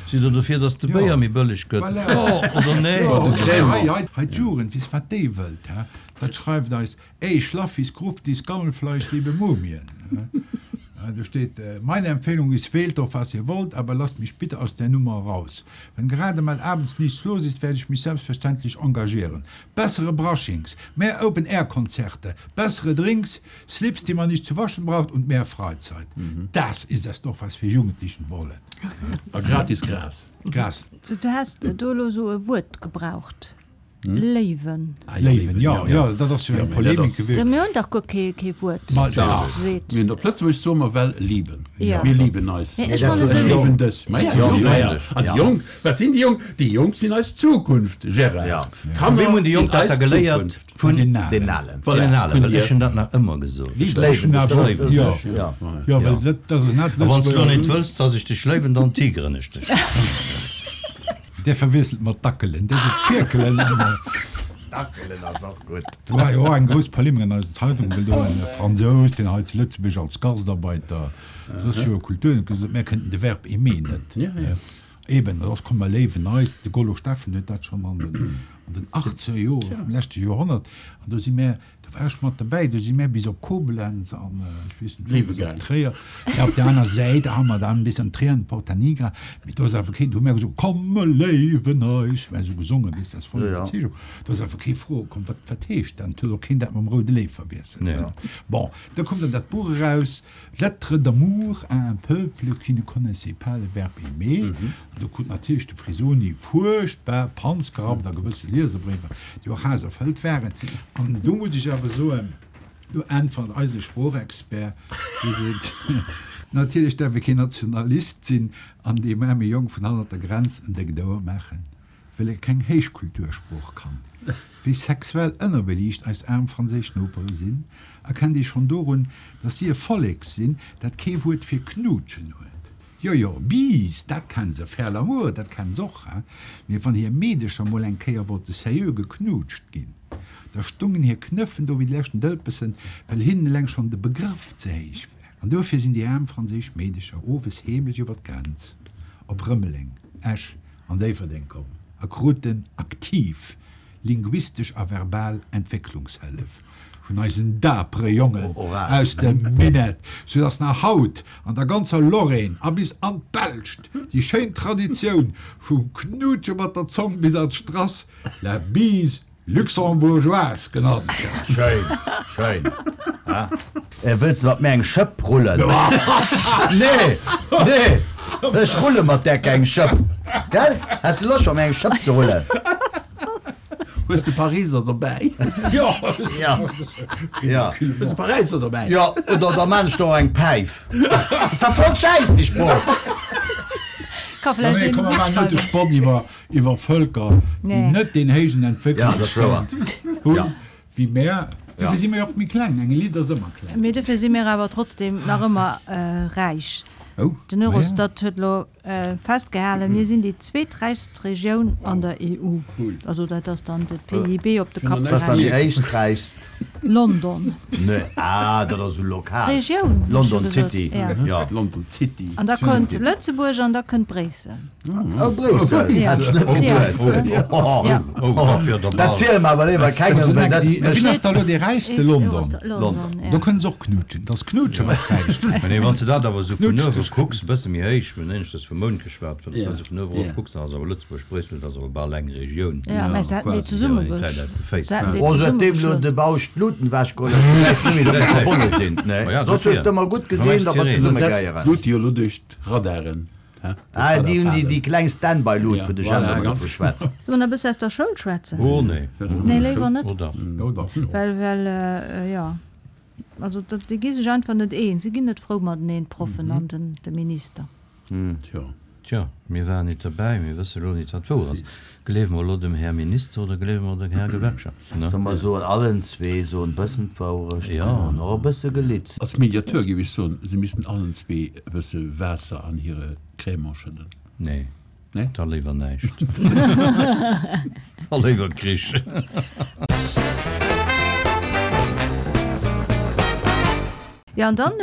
Speaker 5: Sidd Der dofir, datt de Béier méi bëlleg gëtt? Jo oder nee?
Speaker 2: Hei, hei, hei d'Jugend, weess wat déi wëllt, hä? Dat schreift eis, Ey, Schlaffis, Gruftis, Gammelfleisch, liebe Mumien. Do steet, Meine Empfehlung ist, wählt doch, was ihr wollt, aber lasst mich bitte aus der Nummer raus. Wenn gerade mal abends nichts los ist, werde ich mich selbstverständlich engagieren. Bessere Brushings, mehr Open-Air-Konzerte, bessere Drinks, Slips, die man nicht zu waschen braucht und mehr Freizeit. Das ist es doch, was wir Jugendlichen wollen.
Speaker 4: A gratis Gras.
Speaker 2: Gras.
Speaker 1: Du has do elo esou e Wuert gebraucht, Léiwen.
Speaker 2: Léiwen, jo, jo, dat ass jo eng Polemik gewiescht.
Speaker 1: Mir hunn dach guer kee kee Wuert,
Speaker 2: Ma dach.
Speaker 1: seet.
Speaker 4: Mir hunn op Lëtzebuergesch soe mer well lieben.
Speaker 1: Ja.
Speaker 4: Mir lieben eis.
Speaker 1: Mee ech fannen
Speaker 4: Ech
Speaker 1: esou.
Speaker 4: léiwen dech. Ma ja,
Speaker 5: Ja,
Speaker 4: jo, ma ja.
Speaker 5: ja.
Speaker 4: An déi Jonk, wat sinn déi Jonk? Déi Jonk sinn eis Zukunft, Gérard.
Speaker 3: Ja.
Speaker 5: Vu weem hunn déi
Speaker 4: sinn
Speaker 5: Jonk dat
Speaker 4: eis
Speaker 5: da geléiert?
Speaker 4: Zukunft.
Speaker 5: Vun
Speaker 2: den Alen.
Speaker 3: Den Alen.
Speaker 4: Voilà,
Speaker 5: den Alen,
Speaker 4: vun
Speaker 5: well
Speaker 4: dir.
Speaker 5: ech hunn dat nach ëmmer gesot.
Speaker 4: Lieben.
Speaker 2: Ech hunn awer,
Speaker 3: Léiwen.
Speaker 2: jo,
Speaker 3: Ja.
Speaker 2: jo, well dat, dat ass net
Speaker 5: A wann s du
Speaker 2: Lëtzebuerger.
Speaker 5: net wëlls, dass ech dech léiwen, dann tigeren ech dech.
Speaker 2: Där verwiesselt mat Dackelen, där seet Fierkelen.
Speaker 3: Dackelen ass och gutt.
Speaker 2: Do war jo och eng grouss Polemik an eisen Zeitungen, well do en Fransous, deen hei zu Lëtzebuerg als Gastarbeiter drësseg Joer Kultur huet, gesot huet, mär kënnten de Verb aimer net.
Speaker 4: Ja, ja.
Speaker 2: Eben, dat ass komm, mer léiwen eis. De Gollo Steffen huet dat schonn an den, an den achtzeger Jore vum leschte Joerhonnert, an do si mär, do war ech mat derbäi, do si mär bis op Koblenz an, ech weess net,
Speaker 4: Léiwe
Speaker 2: bis op
Speaker 4: gaang.
Speaker 2: Tréier. Ja, op der aner Säit ha mer dann bis an Tréier an Porta Nigra, mee do ass awer keen, do hu mär gesot, komm mer léiwen eis, mär esou gesongen, weess, aus voller
Speaker 3: Ja, ja.
Speaker 2: Iwwerzeegung. Do ass awer kee Fro komm, wat, wat heescht dat? Et huet och keen dat mam Roude Léiw verwiesselt.
Speaker 5: Ja.
Speaker 2: Bon, da koum dann dat Buch eraus, Lettre d'amour à un peuple qui ne connaissait pas le verbe aimer. An do krut natierlech de Frisoni fuerchtbar Panz gerappt a gewësse Lieserbréiwer, déi och haasserfëllt waren. An do muss ech awer soen, do äntwert eise Sproochexpert, dee seet, Natierlech däerf ee keen Nationalist sinn an deem aarme Jong vun hannert der Grenz en déckt Ouer maachen, well e keng Héichkultursprooch kann. Wéi sexuell ënnerbeliicht eis aarm franséisch Nopere sinn, erkennt ee schonn dorun, datt si e Vollek sinn, dat kee Wuert fir knuutschen huet. Jo, jo, Bise, dat kennen se, faire l'amour, dat kennen se och, hein, mee wann hir Meedecher mol eng Kéier wollte seriö geknuutscht ginn, da stungen hir Knëffen do wéi de leschten Dëlpessen, well hinnen eleng schonn de Begrëff ze héich war. An dofir sinn déi aarm franséisch Meedecher owes heemlech iwwer d'Grenz op Rëmeleng, Esch an Déifferdeng komm a kruten aktiv linguistesch a verbal Entwécklungshëllef vun eisen dapere Jongen aus dem Minett, soudass nach haut an der ganzer Lorraine a bis an d'Belscht déi schéin Traditioun vum Knuutsche mat der Zong bis an d'Strass, la bise luxembourgeoise genannt gëtt.
Speaker 3: Schéin, schéin. Wëlls de mat mir eng Schëpp rullen? Nee, nee, ech rulle mat där keng Schëpp. Gell? Häss de Loscht mat mir eng Schëpp ze rullen?
Speaker 4: Hues de Pariser dobäi?
Speaker 2: Jo!
Speaker 3: Ja. Ja.
Speaker 4: Hues de Paräisser dobäi?
Speaker 3: Jo, oder da maan ech der och eng Päif. Ass dat voll Schäiss, déi Sprooch!
Speaker 1: Ka vläicht
Speaker 2: Nee,
Speaker 1: een
Speaker 2: komm, mer maachen net de
Speaker 1: matschreiwen.
Speaker 2: Spott iwwer, iwwer Vëlker, déi
Speaker 1: Nee.
Speaker 2: net deen héijen
Speaker 3: Ja, dat ass wouer.
Speaker 2: Entwécklungsstand hunn
Speaker 3: Ja.
Speaker 2: wéi mär.
Speaker 3: Ja.
Speaker 2: Dofir si mir jo och méi kleng. Eng Elite ass ëmmer kleng.
Speaker 1: Mee dofir si mir awer trotzdem nach ëmmer räich.
Speaker 2: Oh,
Speaker 1: Den Eurostat huet elo festgehalen, mir sinn déi zweeträichst Regioun an der E U. Also dat ass dann de P I B op de Kapp
Speaker 3: Wat ass dann déi
Speaker 1: gerechent.
Speaker 3: éischträichst?
Speaker 1: London.
Speaker 3: Nee, ah, dat ass esou lokal.
Speaker 1: Regioun, hu ech jo
Speaker 3: London
Speaker 1: gesot.
Speaker 3: City,
Speaker 1: Ja.
Speaker 3: ja.
Speaker 4: London City.
Speaker 1: An da kënnt Lëtzebuerg an da kënnt Bréissel.
Speaker 3: Oh, Bréissel,
Speaker 1: Ja.
Speaker 3: hätt ech net
Speaker 1: Ja.
Speaker 3: geduet. Oh,
Speaker 1: Ja.
Speaker 5: Oh, dat wier der
Speaker 3: Dat
Speaker 5: bal.
Speaker 3: ziele mer awer léiwer kengem, well dat
Speaker 2: Wien
Speaker 3: mécht.
Speaker 2: ass da elo dee räichste? London.
Speaker 1: London, ja.
Speaker 2: Do kënnen se och knutschen. Dat ass Knutschen, wat räicht.
Speaker 5: Mä nee, wann s de dat awer esou vun
Speaker 2: Knutscht
Speaker 5: uewe
Speaker 2: dech.
Speaker 5: kucks, e bësse méi héich, mir hunn éineschters vum Mound geschwat, wann s de
Speaker 4: Ja.
Speaker 5: dat esou vun uewe erof
Speaker 4: Ja.
Speaker 5: kucks, dann ass awer Lëtzebuerg, Bréissel, dat ass awer bal eng Regioun.
Speaker 1: Ja, mä se hätten déi
Speaker 5: Souveränitéit
Speaker 1: zesummegesch.
Speaker 5: aus de Féiss.
Speaker 1: Se hätten déi
Speaker 3: Oh, säitdeem elo
Speaker 1: zesummegeschloss.
Speaker 3: de Bausch d'Lut Luten ewech geholl hues, gesäis de net méi, datt se verbonne sinn. Nee,
Speaker 5: Ma ja,
Speaker 3: soss hues
Speaker 5: dofir.
Speaker 3: de ëmmer gutt gesinn, datt mer zesumme
Speaker 4: Setzt
Speaker 3: gehéieren.
Speaker 4: d'Lut jo elo duerch d'Radaren, hä?
Speaker 3: Ah, déi hunn déi, déi kleng Standby-Lut,
Speaker 4: Ja,
Speaker 3: wou de
Speaker 4: voilà,
Speaker 3: Jemp ëmmer
Speaker 4: ganz
Speaker 3: dovu schwätzt.
Speaker 1: Solle mer nach e bësse aus der Schoul schwätzen?
Speaker 5: Oh nee.
Speaker 1: Nee, léiwer net.
Speaker 5: Oh dach.
Speaker 2: Oh dach, jo.
Speaker 1: Well, well, jo, also dat, déi gi sech einfach net eens. Si ginn net frou mateneen, d'Proffen an den, de Minister.
Speaker 4: Tjo.
Speaker 5: Tjo, mir waren nit derbäi, mir wësse lo nit, wat wouer ass. Gleewe mer elo dem Här Minister oder gleewe mer dem Här Gewerkschaft? Ne?
Speaker 3: Solle mer soen, allen zwee soen bëssen d'Wourecht
Speaker 5: Ja.
Speaker 3: an hunn och e bësse gelitzt.
Speaker 4: Als Mediateur géif ech soen, se missten allen zwee e bësse Waasser an hire Crémant schëdden.
Speaker 5: Nee.
Speaker 4: Nee?
Speaker 5: Da léiwer näischt. Da léiwer Krich.
Speaker 1: Jo, an dann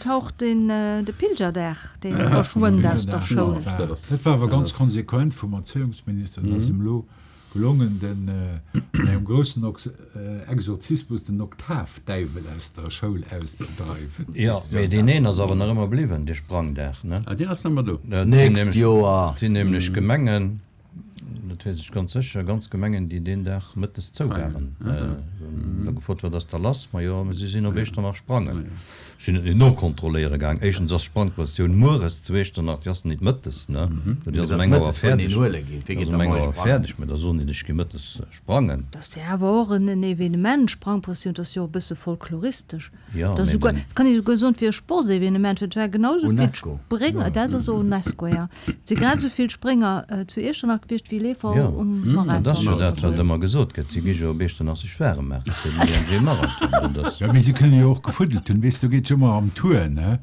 Speaker 1: taucht den de Pilgerdag, dee verschwënnt aus der Schoul.
Speaker 2: Dat war awer ganz konsequent vum Erzéiungsminister, dat ass him elo gelongen, den an engem groussen Exorzismus den Oktavdäiwel aus der Schoul auszedreiwen.
Speaker 5: Jo, mee deen een ass awer nach ëmmer bliwwen, dee Sprangdag, ne?
Speaker 4: Ah, deen ass nach ëmmer do.
Speaker 3: Nächst Joer.
Speaker 5: Et sinn nämlech Gemengen, dat weess ech ganz sécher, ganz Gemengen, déi deen Dag mëttes zou waren. Hunn da gefrot, Wat ass da lass? Majo, si sinn op Echternach sprangen. Ech sinn et net nokontrolléiere gaang. Éischtens ass d'Sprangprëssioun mueres zu Echternach, déi ass nit mëttes, ne? Déi ass
Speaker 3: Dat
Speaker 5: um
Speaker 3: ass
Speaker 5: eng Auer
Speaker 3: mëttes, wou een
Speaker 5: fäerdeg.
Speaker 3: huele geet. Wee
Speaker 5: Déi
Speaker 3: geet
Speaker 5: ass
Speaker 3: da
Speaker 5: um eng
Speaker 3: moies
Speaker 5: Auer
Speaker 3: sprangen?
Speaker 5: fäerdeg, mä da soen déi, ech gi mëttes sprangen.
Speaker 1: Dat ass jo awer och en Evenement, Sprangprëssioun, dat ass jo och e bësse folkloristesch.
Speaker 5: Jo,
Speaker 1: Dat ass
Speaker 5: mee
Speaker 1: souguer,
Speaker 5: den.
Speaker 1: dat kann ee souguer soen, et wier e Sportsevenement, well et war genau esou vill
Speaker 3: UNESCO.
Speaker 1: Sprénger, dat ass och UNESCO, jo. Et si grad esou vill Sprénger zu Iechternach gewiescht wéi Leefer
Speaker 5: Jo,
Speaker 1: um
Speaker 5: dat ass jo
Speaker 1: Marathon.
Speaker 5: dat, wat ëmmer gesot gëtt, si gi jo op Iechternach sech waarem maachen fir den I N G Marathon. Dat ass.
Speaker 2: Jo, mee si kënne jo och gefuddelt hunn, weess, do geet jo ëmmer am Tour, ne?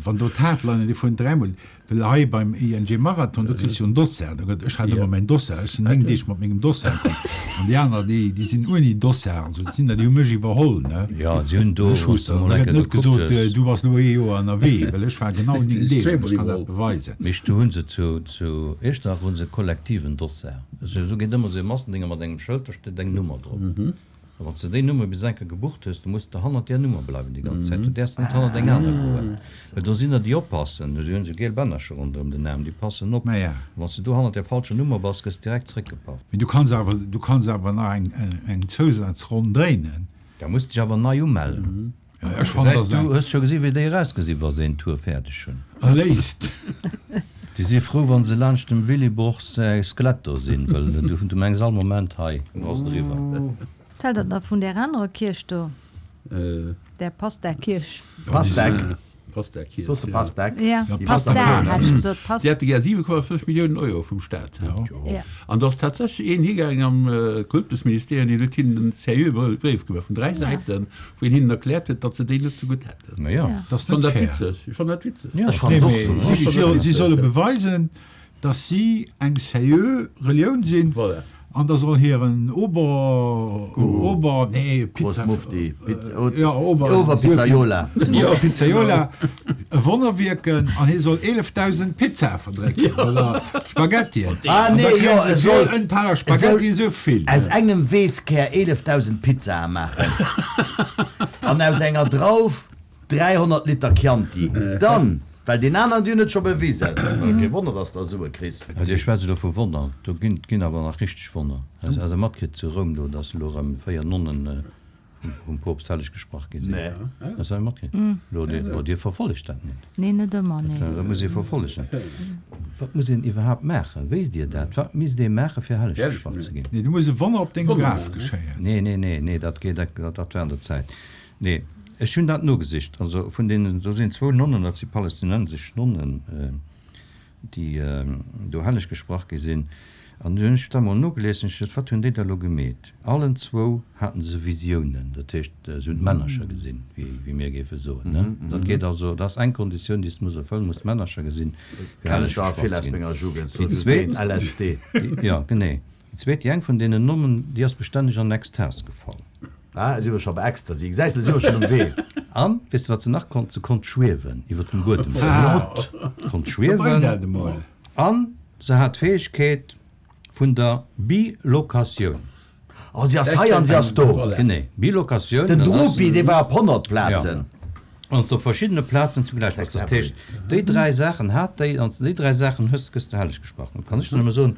Speaker 2: Wann do d'Hardliner, déi fueren dräimol, well hei beim I N G Marathon, do kriss du jo en Dossard, da gëtt, ech hat ëmmer mäin Dossard, ech sinn néng Deeg mat mengem Dossard komm, an déi aner, déi, déi sinn ouni Dossard, also et sinn der, déi hu mech iwwerholl, ne?
Speaker 5: Jo, si hunn do,
Speaker 2: Ech
Speaker 5: wann s
Speaker 2: wusst
Speaker 5: du
Speaker 2: dann,
Speaker 5: mol
Speaker 2: da
Speaker 5: eng
Speaker 2: gëtt
Speaker 5: Kéier
Speaker 2: net
Speaker 5: gekuckt
Speaker 2: gesot,
Speaker 5: hues.
Speaker 2: du bass elo ee Joer ënnerwee, well ech war genau néng Deeg, an ech kann dat beweisen.
Speaker 5: Mee do hu se zu, zu Iechternach hu se e kollektiven Dossard. Also do geet ëmmer esou e Massendénger mat engem Schëld, do steet eng Nummer drop. A wann s de déi Nummer bis eng Kéier gebucht hues, da muss de hannert där Nummer bleiwen déi ganz Zäit. Du däerfs net hannert eng aner goen. Well do sinn der, déi oppassen. Déi hunn esou giel Bännercher ronderëm den Aarm, déi passen op.
Speaker 2: Ma ja.
Speaker 5: A wann s de do hannert där falscher Nummer bass, gëss de direkt zréckgepaff.
Speaker 2: Mee du kanns awer, du kanns awer nach eng, eng Zousazronn dréinen.
Speaker 5: Da muss dech awer nei umellen.
Speaker 2: Ja, ech fannen,
Speaker 5: Gesäis
Speaker 2: dat
Speaker 5: du, hues scho gesi wéi déi erausgesi wa se een Tour fäerdeg hunn.
Speaker 2: Erléist.
Speaker 5: Déi si frou wa se laanscht dem Willy Boch säi Skelett do sinn, well du, du mengs all Moment, hei ass et eriwwer.
Speaker 1: Wat hält der da vun där anerer Kierch do? Där Pasta-Kierch?
Speaker 3: Pastek.
Speaker 4: Pastek-Kierch,
Speaker 3: Soss de
Speaker 4: ja.
Speaker 3: Pastek?
Speaker 1: Ja,
Speaker 2: Ja,
Speaker 1: Pasta,
Speaker 2: Pasta.
Speaker 1: hat ech gesot,
Speaker 4: Déi
Speaker 1: Pasta.
Speaker 4: hätte gär siwe Komma fënnf Milliounen Euro vum Staat.
Speaker 1: Ja.
Speaker 4: An do ass tatsächlech een higaangen am Kultusministerium, deen huet hinnen en seriöe Bréif gemaach vun dräi Säiten, wou een hinnen erkläert huet, datt se déi net zegutt hätten.
Speaker 5: Ma ja.
Speaker 1: Ja.
Speaker 2: Dat ass
Speaker 4: Ech fann
Speaker 2: net
Speaker 4: dat
Speaker 2: fair.
Speaker 4: witzeg. Ech fann dat witzeg.
Speaker 5: Ja.
Speaker 3: Ech fann
Speaker 2: Nee,
Speaker 3: och
Speaker 2: mee
Speaker 3: sou.
Speaker 2: si, si, si solle beweisen, datt si eng seriö Relioun sinn.
Speaker 4: Voilà.
Speaker 2: An da soll hiren Ober, Ober, nee, Pizza,
Speaker 3: Großmufti, Pizza, oh,
Speaker 2: ja, Ober,
Speaker 3: Oberpizzaiola.
Speaker 2: Oberpizzaiola, e Wonner wierken an hie soll eelefdausend Pizzae verdrécken oder Spaghettien.
Speaker 3: Ah,
Speaker 2: An da
Speaker 3: nee,
Speaker 2: kréien
Speaker 3: jo,
Speaker 2: se
Speaker 3: e
Speaker 2: fir
Speaker 3: soll,
Speaker 2: en Teller
Speaker 3: e soll
Speaker 2: Spaghetti esou vill.
Speaker 3: aus engem Weesskär eelefdausend Pizzae maachen an aus enger Drauf dräihonnert Liter Chianti. Dann. Well deen aneren, déi hunn et scho bewisen. Kee Wonner, dass der Sue kriss.
Speaker 5: Jo, Dir schwätzt elo vu Wonner. Do ginn, ginn awer nach richteg Wonner. Has Der matkritt zu Roum do, dass elo erëm véier Nonnen vum Poopst helleg gesprach gi sinn?
Speaker 3: Nee.
Speaker 5: Has Der matkritt? Elo, Dir, oh, Dir verfollegt dat net.
Speaker 1: Nee, net ëmmer, nee.
Speaker 5: Dat muss ee verfollegen. Wat muss een iwwerhaapt maachen? Wéisst Dir dat? Wat misst ee maachen, fir helleg gesprach ze ginn?
Speaker 2: Nee, do muss e Wonner op dengem Graf geschéien.
Speaker 5: Nee, nee, nee, nee, dat geet, dat, dat war an der Zäit. Nee. Ech hunn dat nogesicht. Also vun deenen, do sinn zwou Nonnen, dat si palästinensesch Nonnen, déi do helleg gesprach gi sinn. An du hunn ech da mol nogelies an ech gesot, wat hunn déi da elo gemeet? Allen zwou haten se Visiounen, dat heescht, se hunn d'Männercher gesinn, wéi, wéi mir géife soen, ne? Dat geet also, dat ass eng Konditioun, déi s de muss erfëllen, muss d'Männercher gesinn, fir
Speaker 3: Kenn
Speaker 5: helleg
Speaker 3: ech der
Speaker 5: gesprach
Speaker 3: vill
Speaker 5: ze
Speaker 3: aus
Speaker 5: ginn.
Speaker 3: menger Jugend,
Speaker 5: Déi
Speaker 3: sou du
Speaker 5: zweet,
Speaker 3: den L S D.
Speaker 5: jo, genee. Déi zweet, déi eng vun deenen Nonnen, déi ass bestänneg an Extas gefall.
Speaker 3: Ah, si hu scho bei Ecstasy. Gesäis de, si hu schonn um Wee.
Speaker 5: An, weess de, wat se nach konnt? Se konnt schwiewen iwwer dem Buedem.
Speaker 3: Flott!
Speaker 5: Konnt
Speaker 2: Bréng
Speaker 5: schwiewen.
Speaker 2: dat emol.
Speaker 5: An se hat d'Fäegkeet vun der Bilokatioun.
Speaker 3: Oh, si ass hei an si ass do.
Speaker 5: Genee, Bilokatioun.
Speaker 3: Den
Speaker 5: dat ass.
Speaker 3: Drupi, dee war op honnert Plazen.
Speaker 5: Ja. An op verschiddene Plazen zugläich bass. Dat heescht, déi dräi Saachen hat déi, an déi dräi Saachen hues, gëss de helleg gesprach. Dann kann ech der nëmme soen,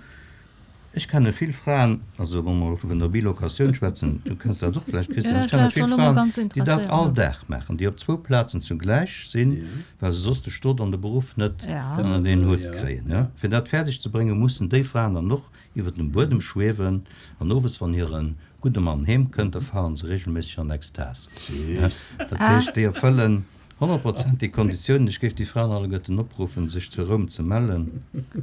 Speaker 5: Ech kenne vill Fraen, also wa mer elo vun der Bilocatioun schwätzen, du kenns dat och vläicht, Christian,
Speaker 1: Ja,
Speaker 5: ech kenne
Speaker 1: ech war
Speaker 5: vill
Speaker 1: schon elo mol
Speaker 5: Fraen,
Speaker 1: ganz
Speaker 5: déi dat
Speaker 1: interesséiert,
Speaker 5: all
Speaker 1: ja.
Speaker 5: Dag maachen, déi op zwou Plazen zugläich sinn, well se soss de Stot an de Beruff net
Speaker 1: Ja.
Speaker 5: ënnert een Hutt
Speaker 4: Ja.
Speaker 5: kréien. Ja. Fir dat fäerdeg ze bréngen, mussen déi Fraen dann och iwwer dem Buedem schwewen an owes, wann hire gudde Mann heem kënnt, da falen se regelméisseg an Extas. Ja. Dat heescht, déi erfëllen honnert Prozent déi Konditiounen. Ech géif déi Fraen alleguerten opruffen, sech zu Roum ze mellen,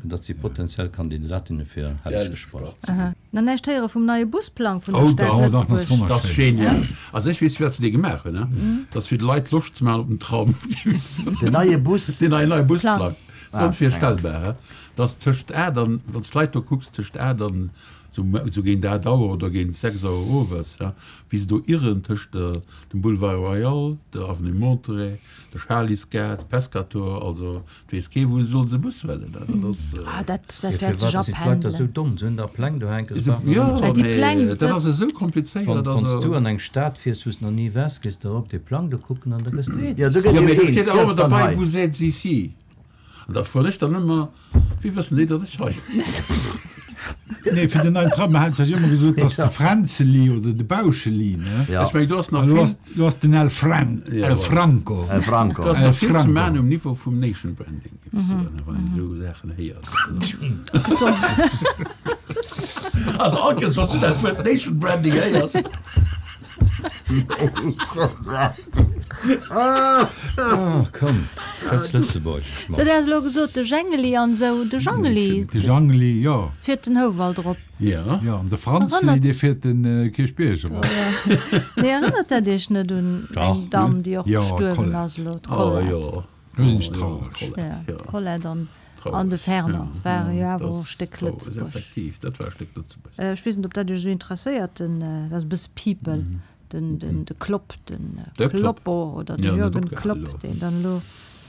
Speaker 5: datt si potenziell Kandidatinne fir helleg gesprach sinn.
Speaker 1: Aha. Nach näischt héiere vum neie Busplang vun der
Speaker 2: Oh,
Speaker 1: Stad
Speaker 2: da, dach, dat ass
Speaker 1: Lëtzebuerg?
Speaker 4: Dat ass
Speaker 2: wonnerschéin.
Speaker 4: genial. Also ech weess, firwat se dee gemaach hunn, ne? Dat ass fir de Leit Loscht ze maachen op den Tram.
Speaker 3: Den neie Bus?
Speaker 4: Den neien neie
Speaker 1: Plang.
Speaker 4: Busplang. Dat ass
Speaker 3: Ah,
Speaker 4: onvirstellbar, he? Dass tëscht aacht an, wann s d'Leit do kucks, tëscht aacht an sou, sou géint aacht Auer oder géint sechs Auer owes, ja, wéi se do irren tëscht der, dem Boulevard Royal, der Avenue Monterey, der Schalisgare, Pescator, also et weess kee wou se sollen se Bus huelen, ne? Dat ass,
Speaker 1: Ah, dat, dat
Speaker 5: Ja,
Speaker 1: wäert
Speaker 5: firwat
Speaker 1: sech
Speaker 5: sinn d'Leit da sou
Speaker 1: apendelen.
Speaker 5: domm? Se hunn da Pläng do hänken, se
Speaker 4: Esou,
Speaker 5: brauchen
Speaker 4: jo,
Speaker 5: nach net
Speaker 1: Well déi
Speaker 4: mee
Speaker 1: Pläng,
Speaker 4: dat
Speaker 1: dat
Speaker 4: ass esou komplizéiert,
Speaker 5: Wann, wann s
Speaker 4: also.
Speaker 5: du an eng Stad fiers, wou s nach ni waars, gees de erop dee Plang do kucken an da gëss de eens.
Speaker 3: Ja, do gëtt
Speaker 4: Ja,
Speaker 3: jo
Speaker 4: mee do
Speaker 3: eens,
Speaker 4: steet
Speaker 3: wie
Speaker 4: awer
Speaker 3: ass dann
Speaker 4: dabei,
Speaker 3: hei?
Speaker 4: Vous êtes ici. An da froen ech dann ëmmer, Wéi wëssen déi, datt ech hei sinn?
Speaker 2: Nee, fir den neien Tram hat ech ëmmer gesot, dass de Fränzeli oder de Bauscheli, ne?
Speaker 3: Ja.
Speaker 4: Ech meng, do ass nach
Speaker 2: An du
Speaker 4: vill,
Speaker 2: hast, du hast den El Fran,
Speaker 4: Ja,
Speaker 2: El
Speaker 4: voilà.
Speaker 2: Franco.
Speaker 3: El Franco.
Speaker 4: do ass
Speaker 2: El
Speaker 4: nach vill ze
Speaker 2: Franco.
Speaker 4: maachen um Niveau vum Nation Branding, géif ech soen, wann een esou Saachen héiert.
Speaker 1: Gesond.
Speaker 4: Also all Kees, wann s du dat Wuert Nation Branding héiers.
Speaker 5: Ah, komm, schwätz Lëtzebuergesch,
Speaker 1: So,
Speaker 5: Mann.
Speaker 1: der ass elo gesot, de Jengeli an esou, de Jangeli
Speaker 2: De Jangeli, jo.
Speaker 1: fiert den Houwald erop.
Speaker 4: Ja.
Speaker 2: Ja, an de Franzli,
Speaker 1: Erënnert-
Speaker 2: dee fiert den äh, Kierchbierg erop.
Speaker 1: Nee, erënnert dat Iech net un
Speaker 5: Dach.
Speaker 1: eng Damm, déi och
Speaker 2: Ja,
Speaker 1: gestuerwen
Speaker 2: Colette.
Speaker 1: ass elo,
Speaker 4: Oh,
Speaker 1: d'Colette.
Speaker 4: jo.
Speaker 2: Do sinn ech
Speaker 4: Oh, jo,
Speaker 2: traureg.
Speaker 4: Colette,
Speaker 1: Ja,
Speaker 4: ja.
Speaker 1: d'Colette an,
Speaker 4: Traureg.
Speaker 1: an de Fernand
Speaker 4: Ja,
Speaker 1: ware jo
Speaker 4: ja,
Speaker 1: awer
Speaker 4: das
Speaker 1: och e Stéck
Speaker 4: traurig,
Speaker 1: Lëtzebuerg.
Speaker 4: Effektiv, dat war e Stéck Lëtzebuerg.
Speaker 1: Äh, ech weess net, ob dat Iech esou interesséiert, den, äh, dat ass e bësse People, den, den, de Klopp, den äh,
Speaker 4: De Klopp.
Speaker 1: Kloppo oder de
Speaker 4: Ja, net
Speaker 1: Jürgen
Speaker 4: opgehal
Speaker 1: Klopp,
Speaker 4: elo.
Speaker 1: deen dann elo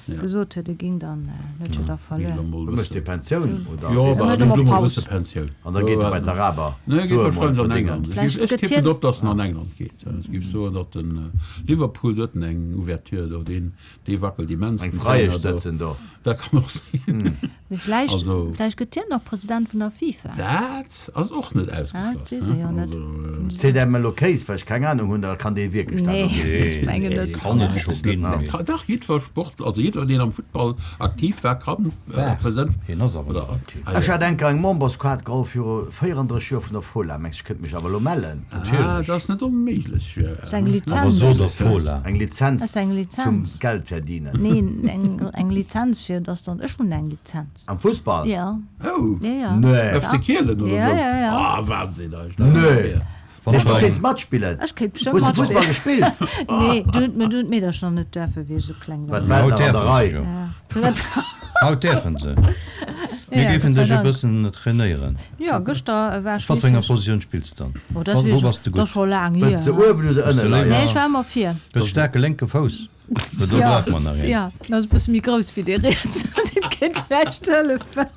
Speaker 4: Ja.
Speaker 1: gesot huet, e ging dann, äh, huet jo da verluer.
Speaker 3: Du méchs déi Pensioun, oder?
Speaker 4: Jo,
Speaker 1: Huet
Speaker 4: bah,
Speaker 1: ëmmer
Speaker 4: ech elo mol
Speaker 1: Paus.
Speaker 4: bësse Pensioun.
Speaker 3: An da geet e bei d'Araber.
Speaker 4: Nee, geet
Speaker 3: Sue mol
Speaker 4: wahrscheinlech an
Speaker 3: verdéngen.
Speaker 4: England. Ech
Speaker 1: Vläicht
Speaker 4: géif- ech
Speaker 1: gëtt
Speaker 4: tippen
Speaker 1: hien-
Speaker 4: drop, dass en an England geet. Ech géif soen, datt den äh, Liverpool huet en eng Ouverture do, deen, dee wackelt immens.
Speaker 3: Eng
Speaker 4: den
Speaker 3: Freiesch
Speaker 4: Trainer do.
Speaker 3: sëtzen do.
Speaker 4: Dat kann och sinn.
Speaker 1: Mee vläicht,
Speaker 4: Also-
Speaker 1: vläicht gëtt hien nach President vun der FIFA.
Speaker 4: Dat ass och net
Speaker 1: Ah,
Speaker 4: ausgeschloss,
Speaker 1: dat weess ech
Speaker 4: ne?
Speaker 1: jo net.
Speaker 4: Also, äh,
Speaker 3: Seet engem elo Kéis, well ech keng Ahnung hunn, da kann dee wierklech dat
Speaker 1: Nee,
Speaker 3: och ginn.
Speaker 1: ech mengen net.
Speaker 5: Kann et scho ginn, mee-
Speaker 4: Ka- Dach, jiddwer Sport, also jidder, deen am Futtball aktiv war, kann äh,
Speaker 5: War.
Speaker 4: President
Speaker 5: Hien ass awer
Speaker 4: oder
Speaker 5: nach aktiv.
Speaker 4: Ah,
Speaker 3: Ech
Speaker 4: ja.
Speaker 3: hat enker eng Memberskaart geholl viru véierandrësseg Joer vun der Fola. Mengs, ech kënnt mech awer elo mellen.
Speaker 4: Ah, dat ass net onméiglech. Ja.
Speaker 1: Ass eng
Speaker 5: Awer
Speaker 1: Lizenz.
Speaker 5: so der Fola.
Speaker 3: Eng Lizenz
Speaker 1: Ass eng
Speaker 3: zum
Speaker 1: Lizenz.
Speaker 3: Geld verdienen.
Speaker 1: Neen, eng, eng Lizenz fir, dass dann, ech hunn eng Lizenz.
Speaker 3: Am Fussball?
Speaker 1: Ja.
Speaker 4: Oh.
Speaker 1: Ja, ja.
Speaker 3: Nee.
Speaker 4: F C Kielen oder
Speaker 1: Ja,
Speaker 4: so?
Speaker 1: ja, ja.
Speaker 4: Ah, Wahnsinn, eigentlich.
Speaker 3: Nee.
Speaker 5: Wann
Speaker 3: Dierf du
Speaker 5: der-
Speaker 3: kéints matspillen?
Speaker 1: Ech kéint bestimmt
Speaker 3: Hues du Fussball
Speaker 1: matspillen.
Speaker 3: gespillt?
Speaker 1: Nee, du hutt mir, du hutt d'Meedercher net däerfen, wéi ech esou kleng war.
Speaker 3: Wat war
Speaker 5: Haut
Speaker 3: nach an der
Speaker 5: däerfen se
Speaker 3: Rei?
Speaker 5: jo.
Speaker 1: Ja.
Speaker 5: Haut däerfen se. Mir
Speaker 1: Ja,
Speaker 5: géifen
Speaker 1: Gott sei
Speaker 5: dech e
Speaker 1: Dank.
Speaker 5: bëssen trainéieren.
Speaker 1: Ja, gëschter war
Speaker 5: Wat fir enger
Speaker 1: schliisslech.
Speaker 5: Positioun spills du dann?
Speaker 1: Oh, dat
Speaker 5: Wou
Speaker 1: weess
Speaker 5: bass
Speaker 1: ech,
Speaker 5: du
Speaker 1: dat ass
Speaker 5: gutt?
Speaker 1: scho laang
Speaker 3: Wëlls
Speaker 1: hier.
Speaker 3: de uewen oder
Speaker 5: Bist
Speaker 3: ënne
Speaker 5: du
Speaker 3: leien?
Speaker 5: léiwer?
Speaker 1: Nee, ech war ëmmer vir.
Speaker 5: Du hues staarke lénke Fouss. Do
Speaker 1: Ja,
Speaker 5: brauch man nach een.
Speaker 1: ja, dat ass e bësse méi grouss wéi dee riets. Dat kéint vläicht hëllefen.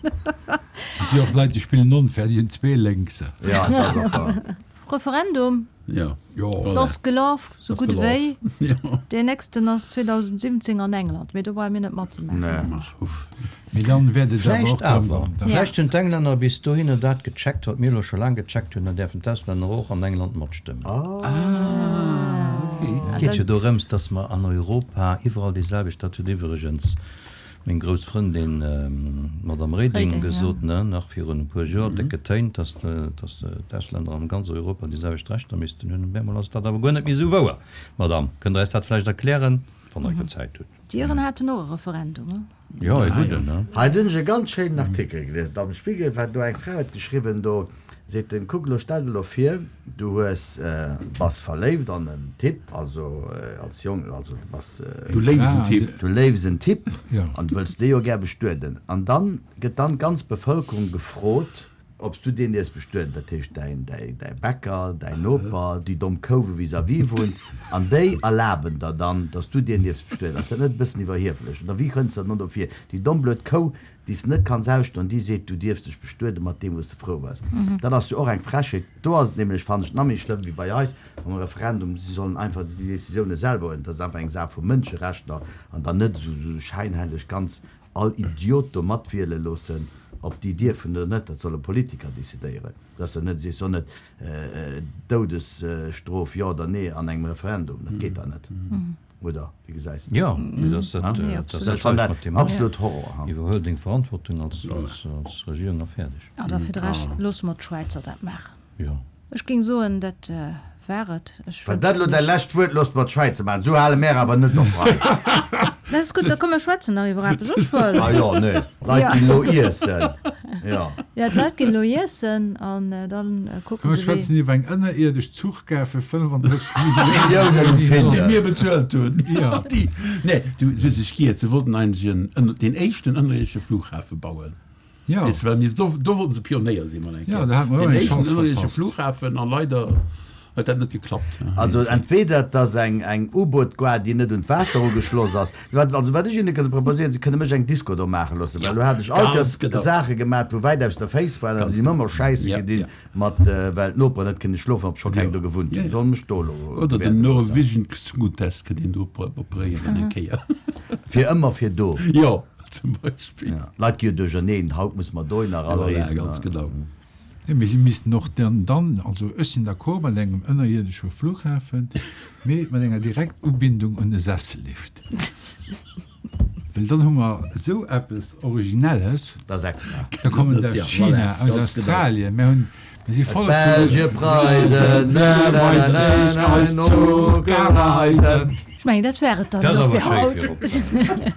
Speaker 2: Et si och Leit, déi spillen onfair, déi hunn zwee Lénkser.
Speaker 3: Ja, dat ass och wahr.
Speaker 1: Referendum.
Speaker 4: Ja.
Speaker 2: Jo.
Speaker 4: Voilà.
Speaker 1: Ass gelaf, sou
Speaker 4: Ass
Speaker 1: gutt
Speaker 4: gelaf.
Speaker 1: ewéi.
Speaker 4: Ja.
Speaker 1: Deen nächsten ass zweedausendsiwwenzéng an England, mee do brauche mir net matzemaachen.
Speaker 3: Nee.
Speaker 4: Ach, uff.
Speaker 2: Mee dann wäert et awer
Speaker 5: Vläicht
Speaker 2: och drëm
Speaker 5: awer.
Speaker 2: goen.
Speaker 1: Ja.
Speaker 5: Vläicht hunn d'Englänner bis dohinner dat gecheckt, wat mir elo scho laang gecheckt hunn, dann däerfen d'Auslänner och an England matstëmmen.
Speaker 4: Ah, okay.
Speaker 5: Et geet jo dorëms, dass mer an Europa iwwerall déi selwecht, dat huet iwwregens meng grouss Frëndin, d'Madame Reding,
Speaker 1: Reding, ja.
Speaker 5: gesot, ne, nach virun e puer Joer, déck getéint, dass dass d'Auslänner an ganz Europa déi selwecht Rechter missten hunn. Op eemol ass dat awer guer net méi esou wouer. Madame, kënnt Der eis dat vläicht erklären, wann Der eng Zäit hutt?
Speaker 1: D'Iren haten och e Referendum, ne?
Speaker 5: Jo, e gudden, ne?
Speaker 3: Hei hunn ech e ganz schéinen Artikel gelies am Spiegel, wat do eng Fra huet geschriwwen, do seet en, kuck elo, stell der elo vir, du hues, bass verléift an en Typ, also als Jong, also du bass,
Speaker 4: Du léifs en Typ.
Speaker 3: du léifs en Typ
Speaker 2: Ja.
Speaker 3: an du wëlls dee jo gär bestueden. An dann gëtt dann d'ganz Bevëlkerung gefrot, ob s du deen dierfs bestueden, dat heescht däin, däi, däi Bäcker, däin Noper, déi domm Kou wou vis-à-vis wunnt, an déi erlaben der dann, dass du deen dierfs bestueden. Ass dat net e bëssen iwwerhieflech? Oder wéi kënns de dann dofir? Déi domm blöd Kou, déi s net kanns ausstoen, déi seet, du dierfs dech bestueden mat deem wou s de frou bass. Dat ass jo och eng Frechheet. Do ass et nämlech, fannen ech, nach méi schlëmm wéi bei eis mam Referendum, si sollen einfach déi Decisioune selwer huelen. Dat ass einfach eng Saach vu Mënscherechter an dann net esou, esou scheinhelleg ganz all Idiot do matwiele loossen. Ob déi dierfen oder net, dat solle Politiker decidéieren. Dat ass jo net, si soll net Doudesstrof jo oder nee an engem Referendum, dat geet da net. Oder wéi gesäis de dat?
Speaker 5: Jo, mee dat ass dat
Speaker 3: Ech fannen dat absolut Horror.
Speaker 5: Iwwerhuel deng Verantwortung als Regierung a fäerdeg.
Speaker 1: An da fir de Rescht loosse mer d'Schwäizer dat maachen.
Speaker 5: Jo.
Speaker 1: Ech géing soen, dat war et. Ech
Speaker 3: War dat elo däi lescht Wuert? Loosst mer d'Schwäizer maachen. Esou hale mär awer net op hei.
Speaker 1: Dat ass gutt, da komm mir schwätzen nach iwwer eppes. Ech wëll.
Speaker 3: Ah jo, nee, d'Leit ginn elo iessen. Jo.
Speaker 1: Jo, d'Leit ginn elo iessen an dann kucke
Speaker 2: Komm mir
Speaker 1: se wéi.
Speaker 2: schwätzen iwwer eng ënnerierdesch Zuchgare fir fënnefandrësseg
Speaker 3: Milliounen
Speaker 2: Milliounen.
Speaker 4: Déi mir bezuelt hunn.
Speaker 2: Jo.
Speaker 4: Déi, nee, du, se hu sech giert. Se wollten eigentlech en ënner, deen éischten ënnerierdesche Flughafe bauen.
Speaker 2: Ja.
Speaker 4: Weess de, well mir, do, do wollten se Pionéier sinn, mol eng
Speaker 2: Ja,
Speaker 4: Kéier.
Speaker 2: do hate mer och
Speaker 4: Deen
Speaker 2: eng
Speaker 4: éischten
Speaker 2: Chance
Speaker 4: ënnerierdesche
Speaker 2: verpasst.
Speaker 4: Flughafen a leider huet dat net geklappt.
Speaker 3: Also entweder et ass eng, eng U-Boot-Gare, déi net un d'Waasser ugeschloss ass. Wat, also wat ech hinne kënne proposéieren, se kënne mech eng Disco do maache loossen, well
Speaker 4: Ja,
Speaker 3: elo hat ech all
Speaker 4: ganz
Speaker 3: Kéiers
Speaker 4: genau.
Speaker 3: Saache gemaat, wou wäit aus der Féiss waren, a
Speaker 4: Ganz
Speaker 3: si hunn
Speaker 4: genau.
Speaker 3: ëmmer Schäisse
Speaker 4: Ja,
Speaker 3: gedinn
Speaker 4: ja.
Speaker 3: mat, well d'Noperen net kënne schlofen, obscho keng
Speaker 4: Jo.
Speaker 3: do gewunnt
Speaker 4: Ja,
Speaker 3: hunn.
Speaker 4: ja.
Speaker 3: Solle mech do elo
Speaker 4: Oder den
Speaker 3: bewäerte loossen.
Speaker 4: Norwegian Zungontest kënnt een do operéieren eng Kéier.
Speaker 3: Fir ëmmer fir do.
Speaker 4: Jo. Zum Beispill.
Speaker 3: Ja. D'Leit gi jo duercherneen, haut muss mer dohinner
Speaker 4: Ja, voilà,
Speaker 3: reesen.
Speaker 4: ganz genau.
Speaker 2: Nee, mee si missten och dann, dann, also ech sinn d'accord mat engem ënnerierdesche Flughafen, mee mat enger direkt Ubindung un e Sessellift. Well dann hu mer esou eppes Originelles.
Speaker 3: Dat ass extra.
Speaker 2: Da kommen se
Speaker 4: Dat,
Speaker 2: aus
Speaker 4: ja,
Speaker 2: China,
Speaker 4: voilà,
Speaker 2: aus
Speaker 4: ganz genau.
Speaker 2: Australien, mir hunn, mir si
Speaker 3: Aus
Speaker 2: voller
Speaker 3: Belge, Preisen, na, na, na, na, na,
Speaker 2: Eis
Speaker 3: no,
Speaker 2: Zuchreisen.
Speaker 1: Ech mengen, dat war et dann
Speaker 5: Dat ass
Speaker 1: elo
Speaker 5: awer
Speaker 1: fir
Speaker 5: schéi
Speaker 1: haut.
Speaker 5: fir op.